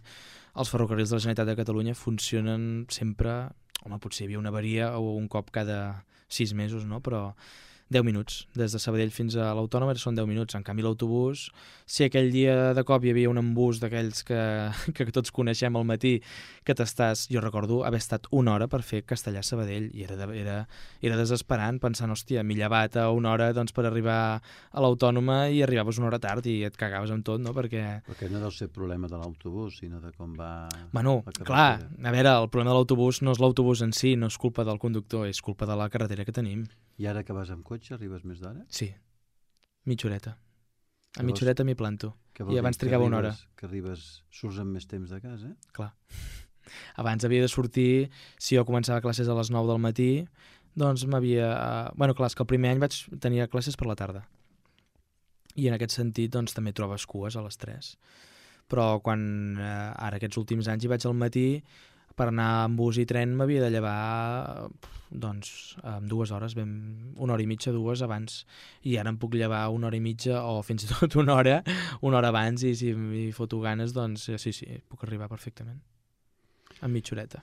Els ferrocarrils de la Generalitat de Catalunya funcionen sempre, home, potser hi havia una avaria o un cop cada 6 mesos, no? Però 10 minuts. Des de Sabadell fins a l'Autònoma són 10 minuts. En canvi, l'autobús, si aquell dia de cop hi havia un embús d'aquells que tots coneixem al matí, que t'estàs... Jo recordo haver estat una hora per fer Castellar-Sabadell i era desesperant, pensant, hòstia, m'he llevat a una hora doncs, per arribar a l'Autònoma i arribaves una hora tard i et cagaves amb tot, no? Perquè no deu ser problema de l'autobús, sinó de com va... Bueno, clar, a veure, el problema de l'autobús no és l'autobús en si, no és culpa del conductor, és culpa de la carretera que tenim. I ara que vas amb cotxe arribes més d'hora? Sí, mitja horeta. A mitja horeta m'hi planto. I abans que trigava una hora. Que surts amb més temps de casa? Clar. Abans havia de sortir, si jo començava classes a les 9 del matí, doncs m'havia... Bueno, clar, és que el primer any vaig tenir classes per la tarda. I en aquest sentit, doncs, també trobes cues a les 3. Però quan ara aquests últims anys hi vaig al matí, per anar amb bus i tren m'havia de llevar doncs en 2 hores, una hora i mitja, 2 abans, i ara em puc llevar una hora i mitja o fins i tot una hora abans, i si m'hi foto ganes, doncs sí, puc arribar perfectament amb mitja horeta.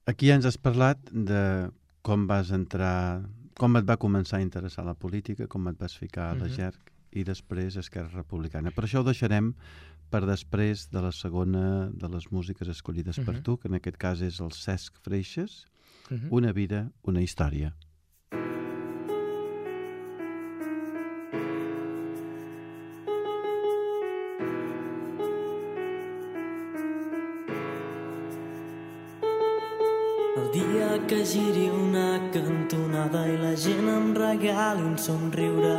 Aquí ja ens has parlat de com vas entrar, com et va començar a interessar la política, com et vas ficar a la GERC i després a Esquerra Republicana. Per això ho deixarem per després de la segona de les músiques escollides per tu, que en aquest cas és el Cesc Freixas, Una vida, una història. El dia que giri una cantonada i la gent em regali un somriure,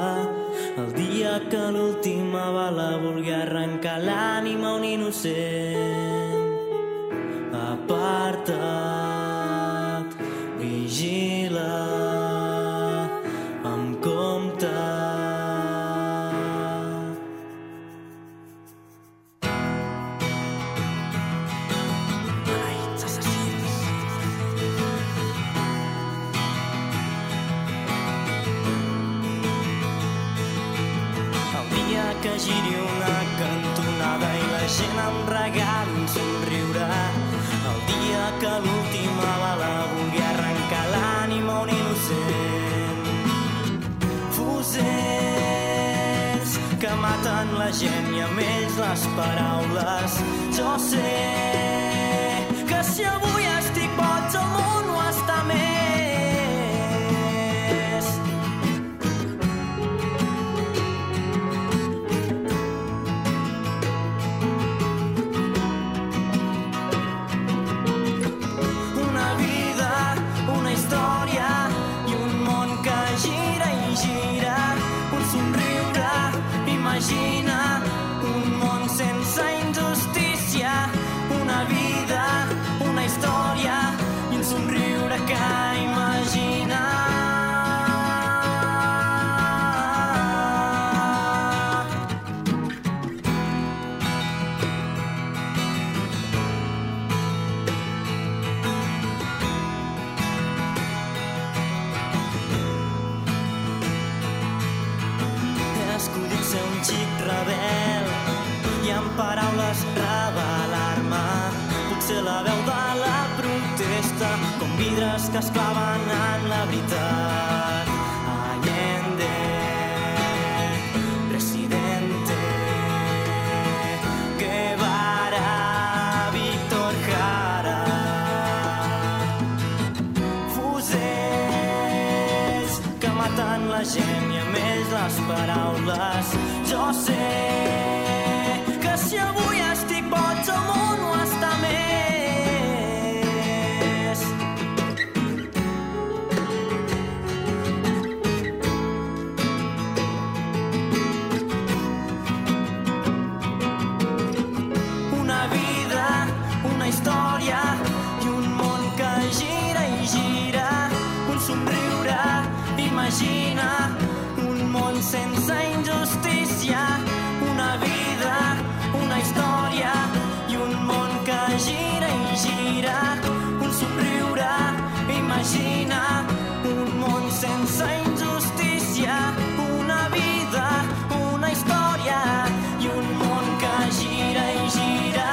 el dia que l'última bala vulgui arrencar l'ànima a un innocent, aparta't, vigila, amb compte. Que giri una cantonada i la gent em regali un somriure, el dia que l'última bala vulgui arrencar l'ànima a un innocent. Fusels que maten la gent i amb ells les paraules. Jo sé que si avui estic boig el món ho està més. Imagina un món sense injustícia, una vida, una història i un somriure que imagina. Ser un xic rebel i amb paraules revelar-me, potser la veu de la protesta, com vidres que es claven en la veritat. Allende, presidente, Guevara, Víctor Jara, fusels que maten la gent i amb ells les paraules. Jo sé que si avui estic boig el món ho està més. Una vida, una història i un món que gira i gira, un somriure, imagina un món sense injustícia, una vida, una història i un món que gira i gira, un somriure, imagina un món sense injustícia, una vida, una història i un món que gira i gira,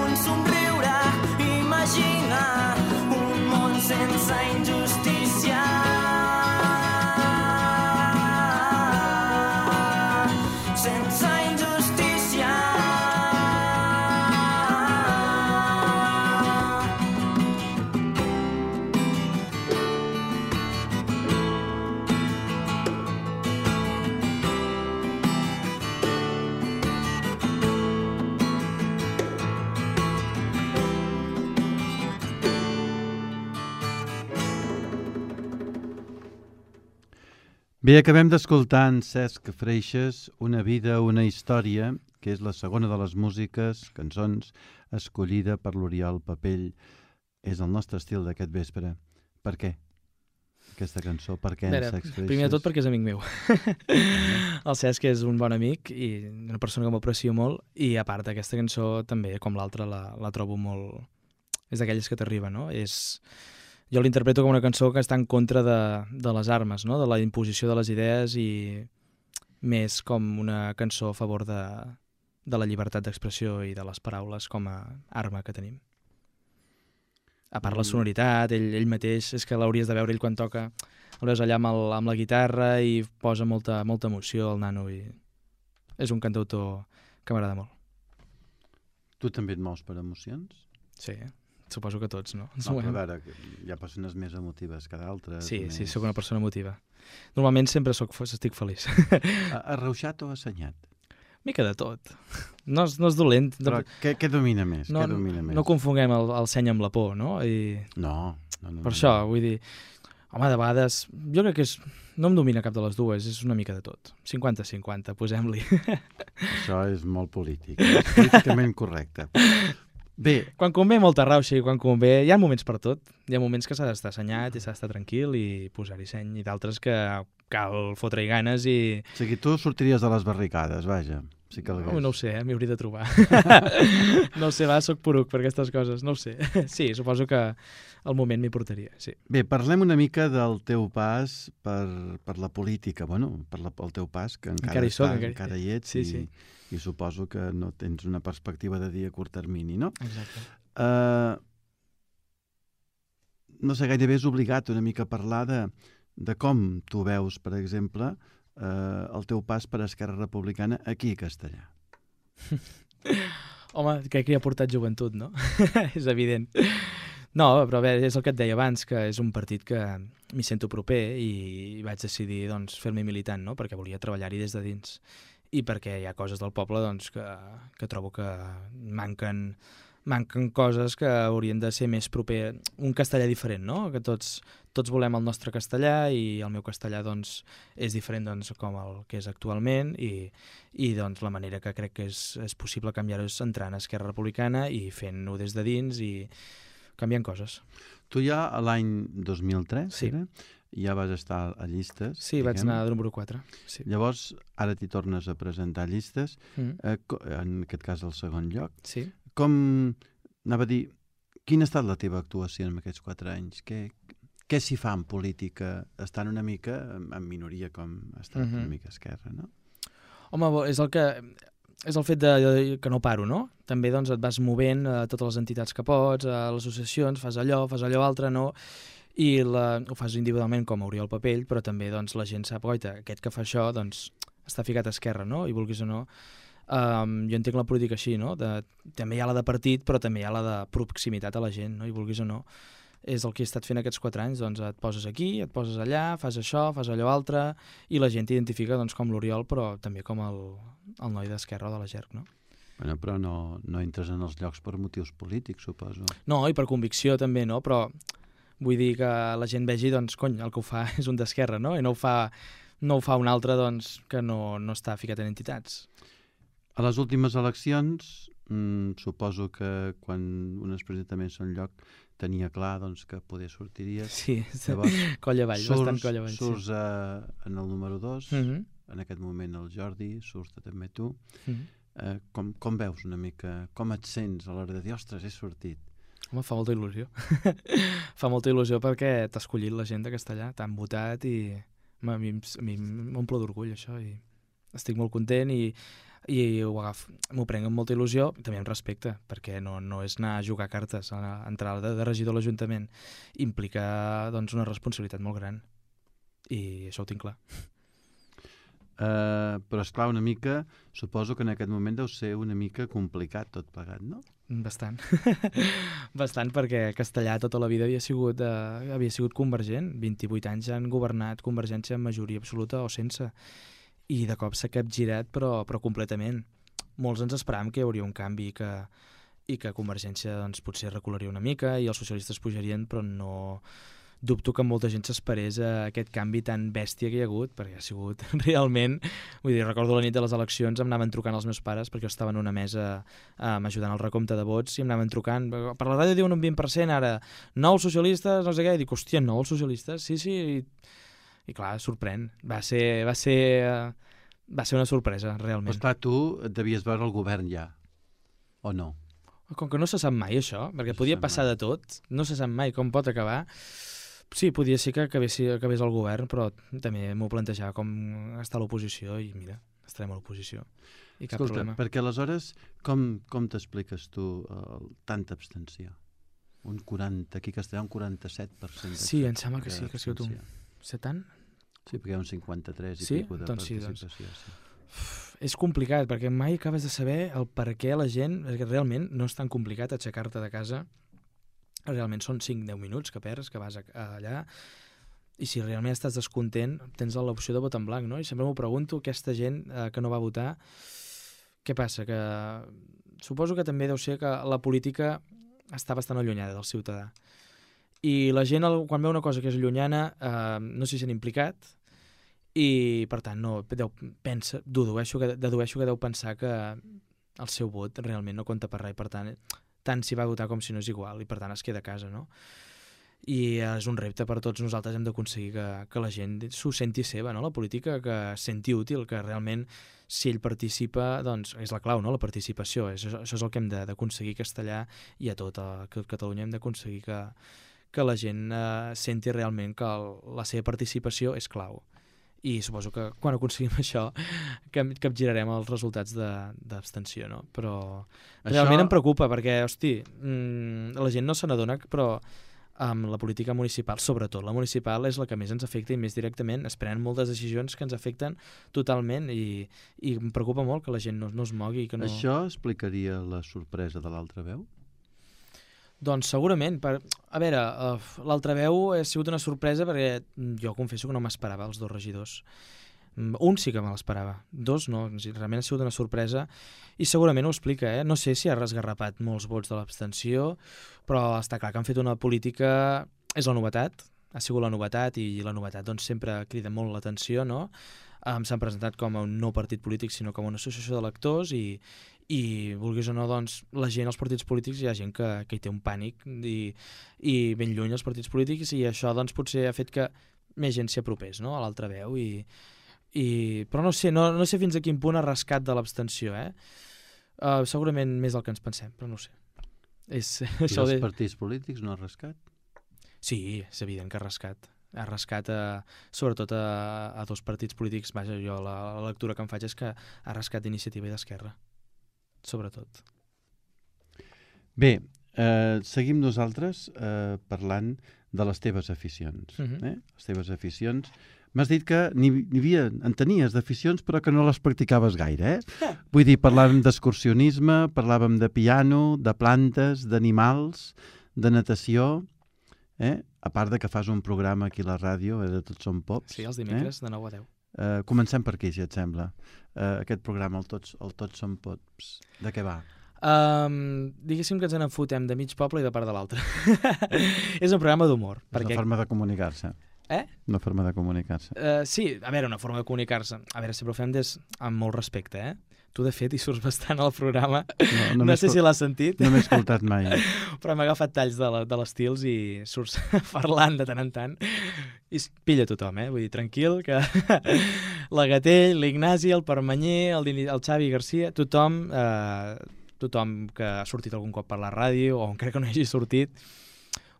un somriure, imagina un Bé, acabem d'escoltar en Cesc Freixas, Una vida, una història, que és la segona de les músiques, cançons, escollida per l'Oriol Papell. És el nostre estil d'aquest vespre. Per què? Aquesta cançó, per què en Cesc Freixas? Primer de tot perquè és amic meu. El Cesc és un bon amic i una persona que m'aprecio molt, i a part aquesta cançó també, com l'altra, la trobo molt... És d'aquelles que t'arriba, no? Jo l'interpreto com una cançó que està en contra de les armes, no? De la imposició de les idees, i més com una cançó a favor de la llibertat d'expressió i de les paraules com a arma que tenim. A part la sonoritat, ell mateix, és que l'hauries de veure ell quan toca, el veus allà amb la guitarra i posa molta emoció al nano, i és un cantautor que m'agrada molt. Tu també et mous per emocions? Sí, suposo que tots, no? No, però a veure, hi ha persones més emotives que d'altres. Sí, sóc una persona emotiva. Normalment sempre estic feliç. Arrauxat o assenyat? Mica de tot. No és dolent. Però què domina més? No confonguem el seny amb la por, no? No. Per això, vull dir, home, de vegades, jo crec que no em domina cap de les dues, és una mica de tot. 50-50, posem-li. Això és molt polític, és políticament correcte. Bé. Quan convé molta rauxa, i quan convé... Hi ha moments per tot. Hi ha moments que s'ha d'estar assenyat i s'ha d'estar tranquil i posar-hi seny, i d'altres que cal fotre-hi ganes i... O sigui, tu sortiries de les barricades, vaja. Si calgués. No ho sé, m'hi hauria de trobar. No ho sé, soc poruc per aquestes coses, no ho sé. Sí, suposo que al moment m'hi portaria, sí. Bé, parlem una mica del teu pas per la política, bueno, pel teu pas, que encara hi ets, sí. I suposo que no tens una perspectiva de dir a curt termini, no? Exacte. No sé, gairebé és obligat una mica a parlar de com tu veus, per exemple, el teu pas per Esquerra Republicana aquí a Castellà. Home, crec que hi ha portat joventut, no? És evident. No, però bé, és el que et deia abans, que és un partit que m'hi sento proper, i vaig decidir fer-me militant, no? Perquè volia treballar-hi des de dins. I perquè hi ha coses del poble que trobo que manquen coses que haurien de ser més proper, un castellà diferent, no? Que tots volem el nostre castellà, i el meu castellà és diferent com el que és actualment, i la manera que crec que és possible canviar-ho és entrant a Esquerra Republicana i fent-ho des de dins i canviant coses. Tu ja a l'any 2003, sí. Ja vas estar a llistes. Sí, vaig anar de número 4. Sí. Llavors, ara t'hi tornes a presentar a llistes, en aquest cas al segon lloc. Sí. Com, anava a dir, quina ha estat la teva actuació en aquests 4 anys? Què s'hi fa en política, estant una mica en minoria com ha estat una mica Esquerra, no? Home, és el fet que no paro, no? També et vas movent a totes les entitats que pots, a les associacions, fas allò altre, no? I ho fas individualment com a Oriol Papell, però també la gent sap, oita, aquest que fa això està ficat a Esquerra, no? I vulguis o no, jo entenc la política així, no? També hi ha la de partit, però també hi ha la de proximitat a la gent, no? I vulguis o no, és el que he estat fent aquests 4 anys, et poses aquí, et poses allà, fas això, fas allò altre, i la gent t'identifica com l'Oriol, però també com el noi d'Esquerra o de la GERC, no? Bueno, però no entres en els llocs per motius polítics, suposo. No, i per convicció també, no? Però vull dir que la gent vegi, el que ho fa és un d'Esquerra, no? I no ho fa un altre, que no està ficat en entitats. A les últimes eleccions, suposo que quan un es presenta més en lloc tenia clar que poder sortiries. Sí, coll avall, bastant coll avall. Surts en el número 2, en aquest moment el Jordi, surts també tu. Com veus una mica, com et sents a l'hora de dir, ostres, he sortit? Home, fa molta il·lusió. Fa molta il·lusió perquè t'ha escollit la gent de Castellà, t'han votat, i a mi m'omple d'orgull això, i estic molt content, i m'ho prenc amb molta il·lusió, també amb respecte, perquè no és anar a jugar cartes, entrar de regidor a l'Ajuntament implica una responsabilitat molt gran, i això ho tinc clar. Però esclar, una mica, suposo que en aquest moment deu ser una mica complicat tot plegat, no? Bastant. Bastant, perquè Castellà tota la vida havia sigut convergent. 28 anys han governat Convergència en majoria absoluta o sense, i de cop s'ha capgirat, però completament. Molts ens esperàvem que hi hauria un canvi, i que Convergència potser recularia una mica i els socialistes pujarien, però no dubto que molta gent s'esperés a aquest canvi tan bèstia que hi ha hagut, perquè ha sigut realment... Vull dir, recordo la nit de les eleccions, em anaven trucant els meus pares, perquè jo estava en una mesa m'ajudant al recompte de vots, i em anaven trucant, per la ràdio diuen un 20%, ara, nous socialistes, no sé què, i dic, hòstia, nous socialistes? Sí, i clar, sorprèn. Va ser una sorpresa, realment. Però esclar, tu et devies veure el govern ja, o no? Com que no se sap mai això, perquè podia passar de tot, no se sap mai com pot acabar. Sí, podia ser que acabés el govern, però també m'ho plantejava com està l'oposició i mira, estarem a l'oposició. I cap problema. Perquè aleshores com t'expliques tu tanta abstenció? Un 40, aquí a Castellà un 47%. Sí, em sembla que sí, que ha sigut un... Sé tant? Sí, perquè hi ha un 53 i pico de participació. Sí. És complicat, perquè mai acabes de saber el per què la gent... Perquè realment no és tan complicat aixecar-te de casa. Realment són 5-10 minuts que perds, que vas allà, i si realment estàs descontent, tens l'opció de vot en blanc, no? I sempre m'ho pregunto, aquesta gent que no va votar, què passa? Que suposo que també deu ser que la política està bastant allunyada del ciutadà. I la gent, quan veu una cosa que és llunyana, no s'hi sent implicat, i per tant dedueixo que deu pensar que el seu vot realment no compta per res, i per tant s'hi va votar com si no és igual, i per tant es queda a casa, no? I és un repte per tots nosaltres, hem d'aconseguir que la gent s'ho senti seva, no? La política, que senti útil, que realment si ell participa, doncs és la clau, no? La participació, això és el que hem d'aconseguir a Castellà i a tot Catalunya, hem d'aconseguir que la gent senti realment que la seva participació és clau. I suposo que quan aconseguim això capgirarem els resultats d'abstenció, no? Però realment em preocupa perquè, hosti, la gent no se n'adona, però amb la política municipal, sobretot la municipal, és la que més ens afecta i més directament. Es prenen moltes decisions que ens afecten totalment i em preocupa molt que la gent no es mogui. Que no... Això explicaria la sorpresa de l'altra veu? Doncs segurament. A veure, l'altra veu ha sigut una sorpresa perquè jo confesso que no m'esperava els 2 regidors. Un sí que me l'esperava, 2 no, realment ha sigut una sorpresa i segurament ho explica, No sé si ha resgarrapat molts vots de l'abstenció, però està clar que han fet una política... És la novetat, ha sigut la novetat i la novetat doncs sempre crida molt l'atenció, no? S'han presentat com a un no partit polític, sinó com una associació d'electors i vulguis o no, doncs, la gent als partits polítics hi ha gent que hi té un pànic i ben lluny els partits polítics i això doncs potser ha fet que més gent s'hi apropés, no? A l'altra veu però no sé fins a quin punt ha rascat de l'abstenció, segurament més del que ens pensem, però no ho sé. I els partits polítics no ha rascat? Sí, és evident que ha rascat. Ha rascat sobretot a 2 partits polítics. Vaja, jo la lectura que em faig és que ha rascat d'Iniciativa i d'Esquerra, sobretot. Bé, seguim nosaltres parlant de les teves aficions. Les teves aficions. M'has dit que en tenies d'aficions però que no les practicaves gaire, Vull dir, parlàvem d'excursionisme, parlàvem de piano, de plantes, d'animals, de natació... A part de que fas un programa aquí a la ràdio, de Tots som Pops. Sí, els dimecres de 9 a 10. Comencem per aquí, si et sembla. Aquest programa, el Tots som Pops, de què va? Diguéssim que ens en fotem de mig poble i de part de l'altre. És un programa d'humor. És una forma de comunicar-se. Una forma de comunicar-se. Sí, a veure, una forma de comunicar-se. A veure, sempre ho fem amb molt respecte, Tu, de fet, hi surts bastant al programa. No sé si l'has sentit. No m'he escoltat mai. Però hem agafat talls de l'estils i surts parlant de tant en tant. I pilla tothom, Vull dir, tranquil, que la Gatell, l'Ignasi, el Permanyer, el Xavi Garcia, tothom que ha sortit algun cop per la ràdio o encara que no hagi sortit,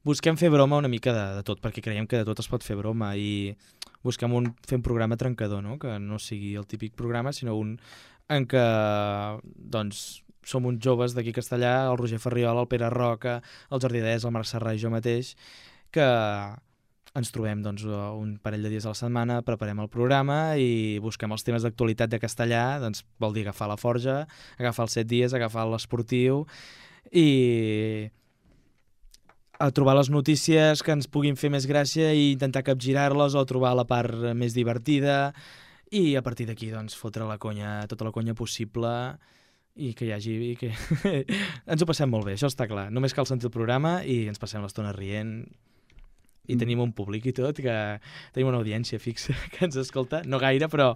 busquem fer broma una mica de tot, perquè creiem que de tot es pot fer broma i busquem fer un programa trencador, que no sigui el típic programa, sinó un en què doncs, som uns joves d'aquí a Castellà, el Roger Ferriol, el Pere Roca, el Jordi Dès, el Marc Serrà i jo mateix, que ens trobem doncs, un parell de dies a la setmana, preparem el programa i busquem els temes d'actualitat de Castellà, doncs vol dir agafar la forja, agafar els 7 dies, agafar l'esportiu i a trobar les notícies que ens puguin fer més gràcia i intentar capgirar-les o trobar la part més divertida i a partir d'aquí doncs, fotre tota la conya possible i que hi hagi... que ens ho passem molt bé, això està clar. Només cal sentir el programa i ens passem l'estona rient I tenim un públic i tot, que tenim una audiència fixa que ens escolta, no gaire, però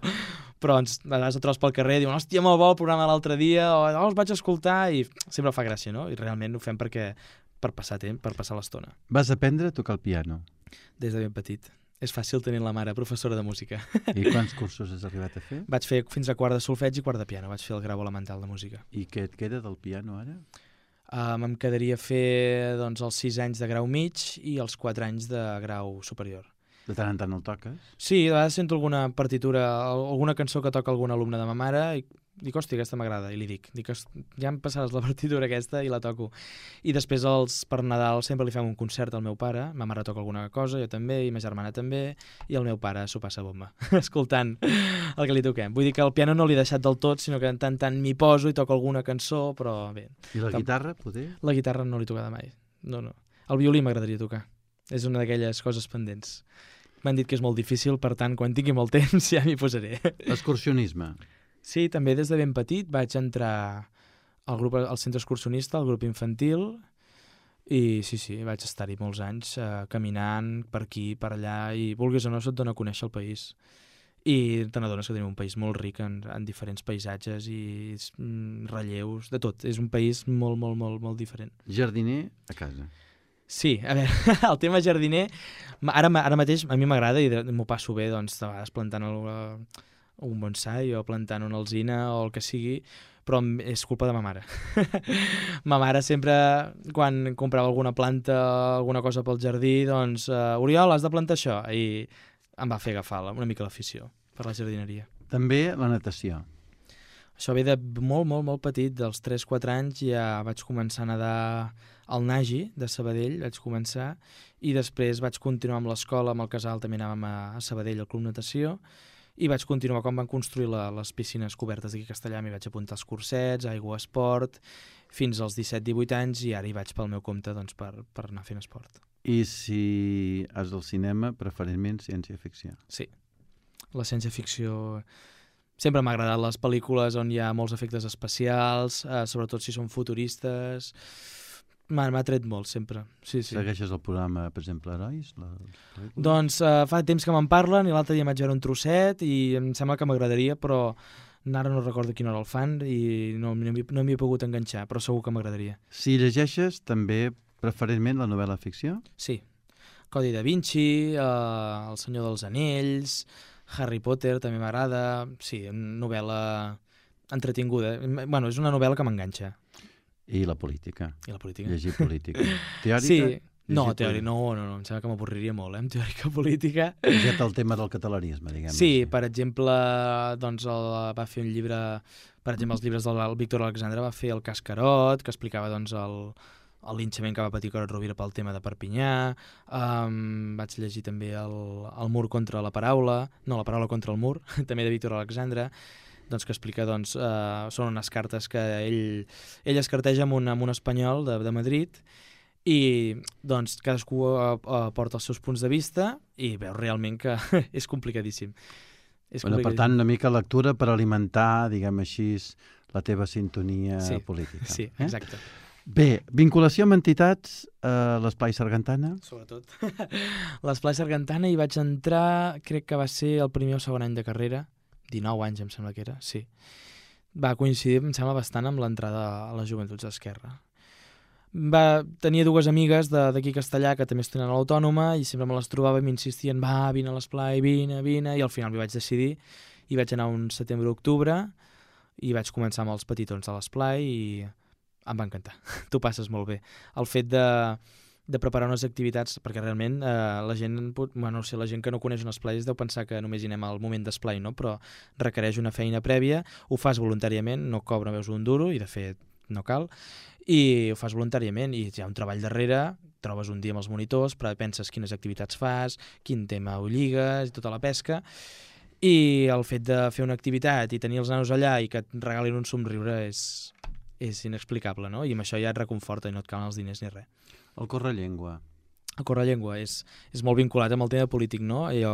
ens, a vegades et trobes pel carrer i diuen, hòstia, molt bo el programa l'altre dia, o els vaig escoltar, i sempre fa gràcia, no? I realment ho fem per passar temps, per passar l'estona. Vas aprendre a tocar el piano? Des de ben petit. És fàcil tenir la mare professora de música. I quants cursos has arribat a fer? Vaig fer fins a quart de solfeig i quart de piano, vaig fer el grau elemental de música. I què et queda del piano ara? Em quedaria fer doncs, els 6 anys de grau mig i els 4 anys de grau superior. De tant en tant el toques? Sí, de vegades sento alguna partitura, alguna cançó que toca algun alumne de ma mare i dic, hòstia, aquesta m'agrada, i li dic, ja em passaràs la partitura aquesta i la toco. I després per Nadal sempre li fem un concert al meu pare, ma mare toca alguna cosa, jo també, i ma germana també, i el meu pare s'ho passa bomba, escoltant el que li toquem. Vull dir que el piano no l'he deixat del tot, sinó que en tant m'hi poso i toco alguna cançó, però bé. I la guitarra, poder? La guitarra no l'he tocada mai, no. El violí m'agradaria tocar, és una d'aquelles coses pendents. M'han dit que és molt difícil, per tant, quan tingui molt temps ja m'hi posaré. Excursionisme. Sí, també des de ben petit vaig entrar al centre excursionista, al grup infantil, i sí, vaig estar-hi molts anys caminant per aquí, per allà, i vulguis o no se't dona a conèixer el país. I te n'adones que tenim un país molt ric en diferents paisatges i relleus, de tot. És un país molt, molt, molt, molt diferent. Jardiner a casa. Sí, a veure, el tema jardiner, ara mateix a mi m'agrada i m'ho passo bé, doncs, de vegades plantant un bonsai o plantant una alzina o el que sigui, però és culpa de ma mare. Ma mare sempre, quan comprava alguna planta, alguna cosa pel jardí, doncs, Oriol, has de plantar això, i em va fer agafar una mica l'afició per la jardineria. També la natació. Això ve de molt, molt, molt petit, dels 3-4 anys ja vaig començar a nedar al Nagi de Sabadell, vaig començar, i després vaig continuar amb l'escola, amb el casal també anàvem a Sabadell al Club Natació, i vaig continuar quan van construir les piscines cobertes d'aquí a Castellà, m'hi vaig apuntar als cursets, aigua, esport, fins als 17-18 anys, i ara hi vaig pel meu compte doncs, per anar fent esport. I si has del cinema, preferentment ciència-ficció? Sí. La ciència-ficció... Sempre m'ha agradat les pel·lícules on hi ha molts efectes especials, sobretot si són futuristes. M'ha tret molt, sempre. Sí. Segueixes el programa, per exemple, Herois? Doncs fa temps que me'n parlen i l'altre dia vaig veure un trosset i em sembla que m'agradaria, però ara no recordo quina hora el fan i no m'hi he pogut enganxar, però segur que m'agradaria. Si llegeixes, també preferentment la novel·la ficció? Sí. Codi da Vinci, El Senyor dels Anells, Harry Potter també m'agrada. Sí, novel·la entretinguda. Bueno, és una novel·la que m'enganxa. I la política. I la política. Llegir política. Teòrica? Sí. No, teòrica no, em sembla que m'avorriria molt, amb teòrica política. Llegit el tema del catalanisme, diguem. Sí, per exemple, doncs va fer un llibre, per exemple, els llibres del Víctor Alexandre va fer el Cascarot, que explicava doncs el linxament que va patir Carod Rovira pel tema de Perpinyà. Vaig llegir també el mur contra la paraula, no, la paraula contra el mur, també de Víctor Alexandre, doncs, que explica, doncs, són unes cartes que ell es carteja amb un espanyol de Madrid i doncs cadascú aporta els seus punts de vista i veus realment que és complicadíssim. Per tant, una mica lectura per alimentar, diguem així, la teva sintonia política. Sí, exacte. Bé, vinculació amb entitats a l'Esplai Sargantana? Sobretot. L'Esplai Sargantana hi vaig entrar, crec que va ser el primer o segon any de carrera, 19 anys em sembla que era, sí. Va coincidir, em sembla, bastant amb l'entrada a les Joventuts d'Esquerra. Tenia dues amigues d'aquí a Castellà que també estudien a l'Autònoma i sempre me les trobava i m'insistien, va, vine a l'Esplai, vine, i al final m'hi vaig decidir i vaig anar un setembre-octubre i vaig començar amb els petitons de l'Esplai i em va encantar. T'ho passes molt bé. El fet de preparar unes activitats, perquè realment la gent que no coneix un esplai deu pensar que només hi anem al moment d'esplai, no? Però requereix una feina prèvia, ho fas voluntàriament, no cobra veus un duro, i de fet no cal, i ho fas voluntàriament, i hi ha un treball darrere, trobes un dia amb els monitors, però penses quines activitats fas, quin tema ho lligues, i tota la pesca, i el fet de fer una activitat i tenir els nanos allà i que et regalin un somriure és inexplicable, no? I amb això ja et reconforta i no et calen els diners ni res. El Correllengua. El Correllengua és molt vinculat amb el tema polític, no? Jo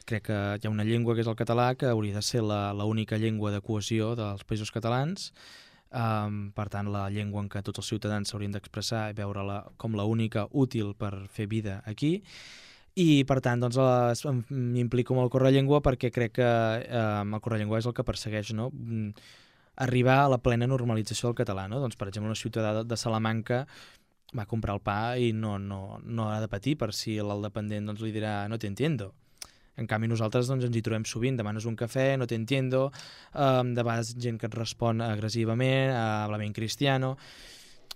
crec que hi ha una llengua que és el català que hauria de ser l'única llengua de cohesió dels països catalans. per tant la llengua en què tots els ciutadans s'haurien d'expressar i veure-la com la única útil per fer vida aquí, i per tant doncs, m'implico amb el Correllengua perquè crec que el Correllengua és el que persegueix, no? Arribar a la plena normalització del català, no? Doncs, per exemple, una ciutadà de Salamanca va comprar el pa i no ha de patir per si l'aldependent doncs, li dirà no te entiendo. En canvi, nosaltres doncs, ens hi trobem sovint, demanes un cafè, no te entiendo, de vegades gent que et respon agressivament, háblame en cristiano.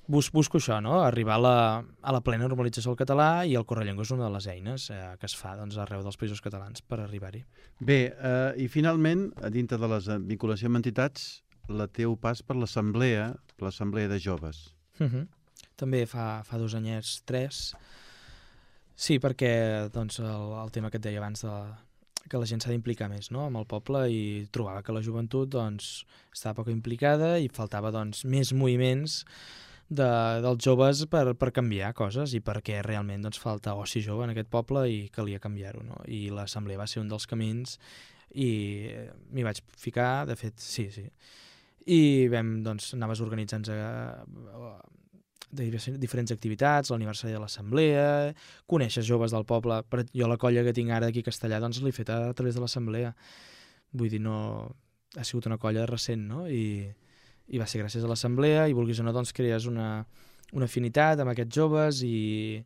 Busco això, no? Arribar a la plena normalització del català, i el Correllengua és una de les eines que es fa doncs, arreu dels països catalans per arribar-hi. Bé, i finalment, a dintre de les vinculacions amb entitats, la teu pas per l'assemblea de joves. També fa 2 anyets, 3. Sí, perquè doncs, el tema que et deia abans que la gent s'ha d'implicar més, no? Amb el poble, i trobava que la joventut doncs, estava poc implicada i faltava doncs, més moviments dels joves per canviar coses, i perquè realment doncs, falta oci jove en aquest poble i calia canviar-ho, no? I l'assemblea va ser un dels camins i m'hi vaig ficar, de fet, sí. I doncs, anaves organitzant diferents activitats, l'aniversari de l'assemblea, coneixes joves del poble. Jo la colla que tinc ara aquí a Castellà doncs l'he fet a través de l'assemblea. Vull dir, no ha sigut una colla recent, no? I va ser gràcies a l'assemblea, i vulguis o no, doncs crees una afinitat amb aquests joves i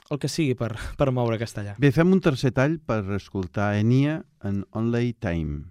el que sigui per moure Castellà. Bé, fem un tercer tall per escoltar Enya en Only Time.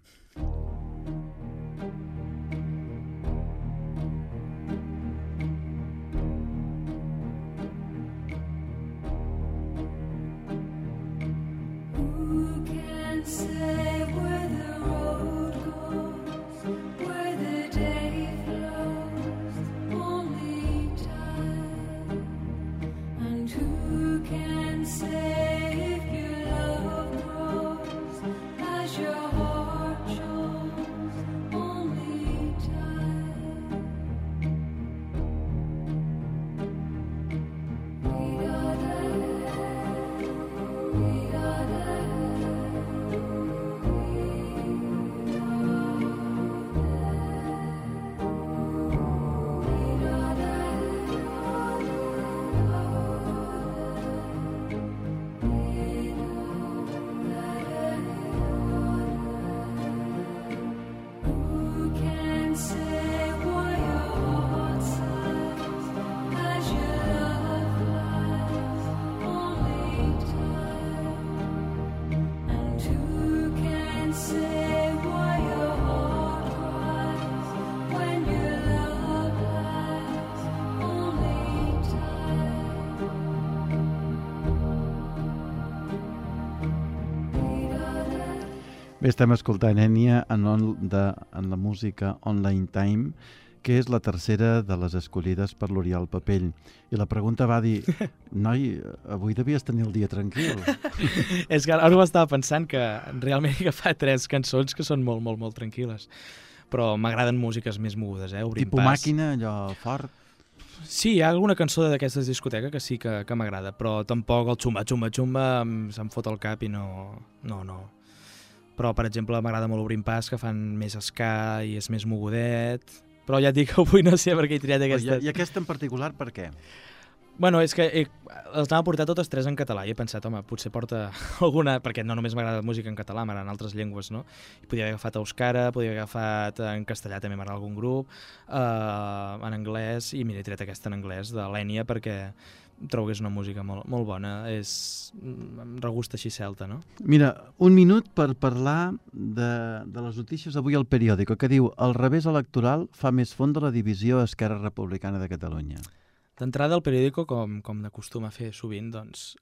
Bé, estem escoltant Enya en la música Online Time, que és la tercera de les escollides per l'Oriol Papell. I la pregunta va dir, noi, avui devies tenir el dia tranquil. És que ara m'estava pensant que realment he agafat 3 cançons que són molt, molt, molt tranquil·les. Però m'agraden músiques més mogudes, Obrim Tipus pas. màquina, allò fort? Sí, hi ha alguna cançó d'aquestes discoteques que sí que m'agrada, però tampoc el xumba se'm fot al cap i no. Però, per exemple, m'agrada molt Obrim pas, que fan més ska i és més mogudet. Però ja et dic que avui no sé per què he triat aquestes. I aquesta en particular per què? Bueno, és que les anava a portar totes 3 en català i he pensat, home, potser porta alguna, perquè no només m'agrada música en català, m'agraden altres llengües, no? I podia haver agafat euskara, podia haver agafat en castellà, també m'agrada algun grup, en anglès, i mira, he tret aquesta en anglès, de l'Enya, perquè trobo que és una música molt, molt bona, em regusta així celta, no? Mira, un minut per parlar de les notícies avui al periòdico, que diu el revés electoral fa més fons de la divisió Esquerra Republicana de Catalunya. D'entrada, el periòdico, com d'acostuma a fer sovint, doncs,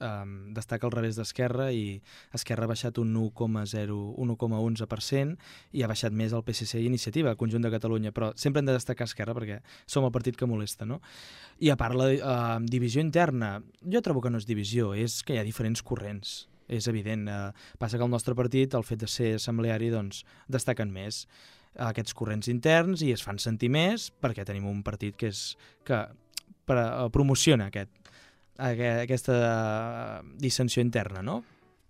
destaca el revés d'Esquerra, i Esquerra ha baixat un 1,11% i ha baixat més el PSC i Iniciativa, el conjunt de Catalunya, però sempre hem de destacar Esquerra perquè som el partit que molesta, no? I a part, la divisió interna, jo trobo que no és divisió, és que hi ha diferents corrents, és evident. Passa que el nostre partit, el fet de ser assembleari, doncs, destaquen més aquests corrents interns i es fan sentir més perquè tenim un partit que promociona aquesta dissensió interna, no?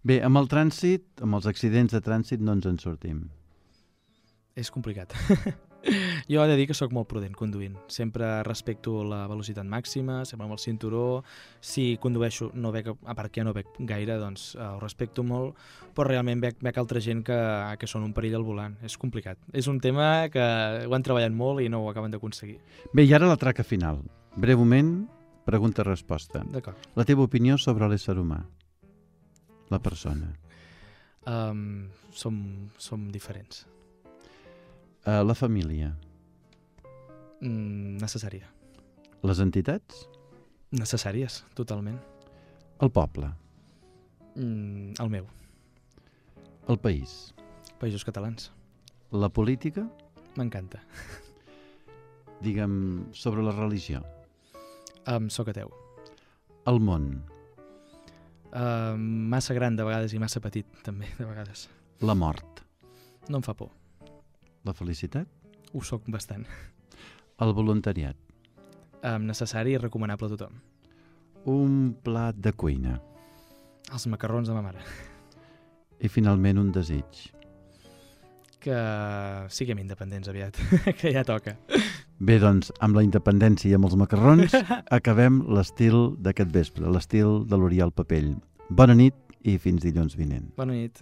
Bé, amb el trànsit, amb els accidents de trànsit no ens en sortim. És complicat. Jo he de dir que sóc molt prudent conduint. Sempre respecto la velocitat màxima, sempre amb el cinturó. Si condueixo, no bec, a part que ja no bec gaire, doncs ho respecto molt, però realment bec altra gent que són un perill al volant. És complicat. És un tema que ho han treballat molt i no ho acaben d'aconseguir. Bé, i ara la traca final. Breument, pregunta-resposta. D'acord. La teva opinió sobre l'ésser humà, la persona. Som diferents. La família. Necessària. Les entitats? Necessàries, totalment. El poble. El meu. El país. Països catalans. La política? M'encanta. Digue'm, sobre la religió. Soc ateu. El món. Massa gran de vegades i massa petit, també, de vegades. La mort. No em fa por. La felicitat? Ho soc bastant. El voluntariat. Necessari i recomanable a tothom. Un plat de cuina. Els macarrons de ma mare. I finalment un desig. Que siguem independents aviat, que ja toca. Bé, doncs, amb la independència i amb els macarrons acabem l'estil d'aquest vespre, l'estil de l'Oriol Papell. Bona nit i fins dilluns vinent. Bona nit.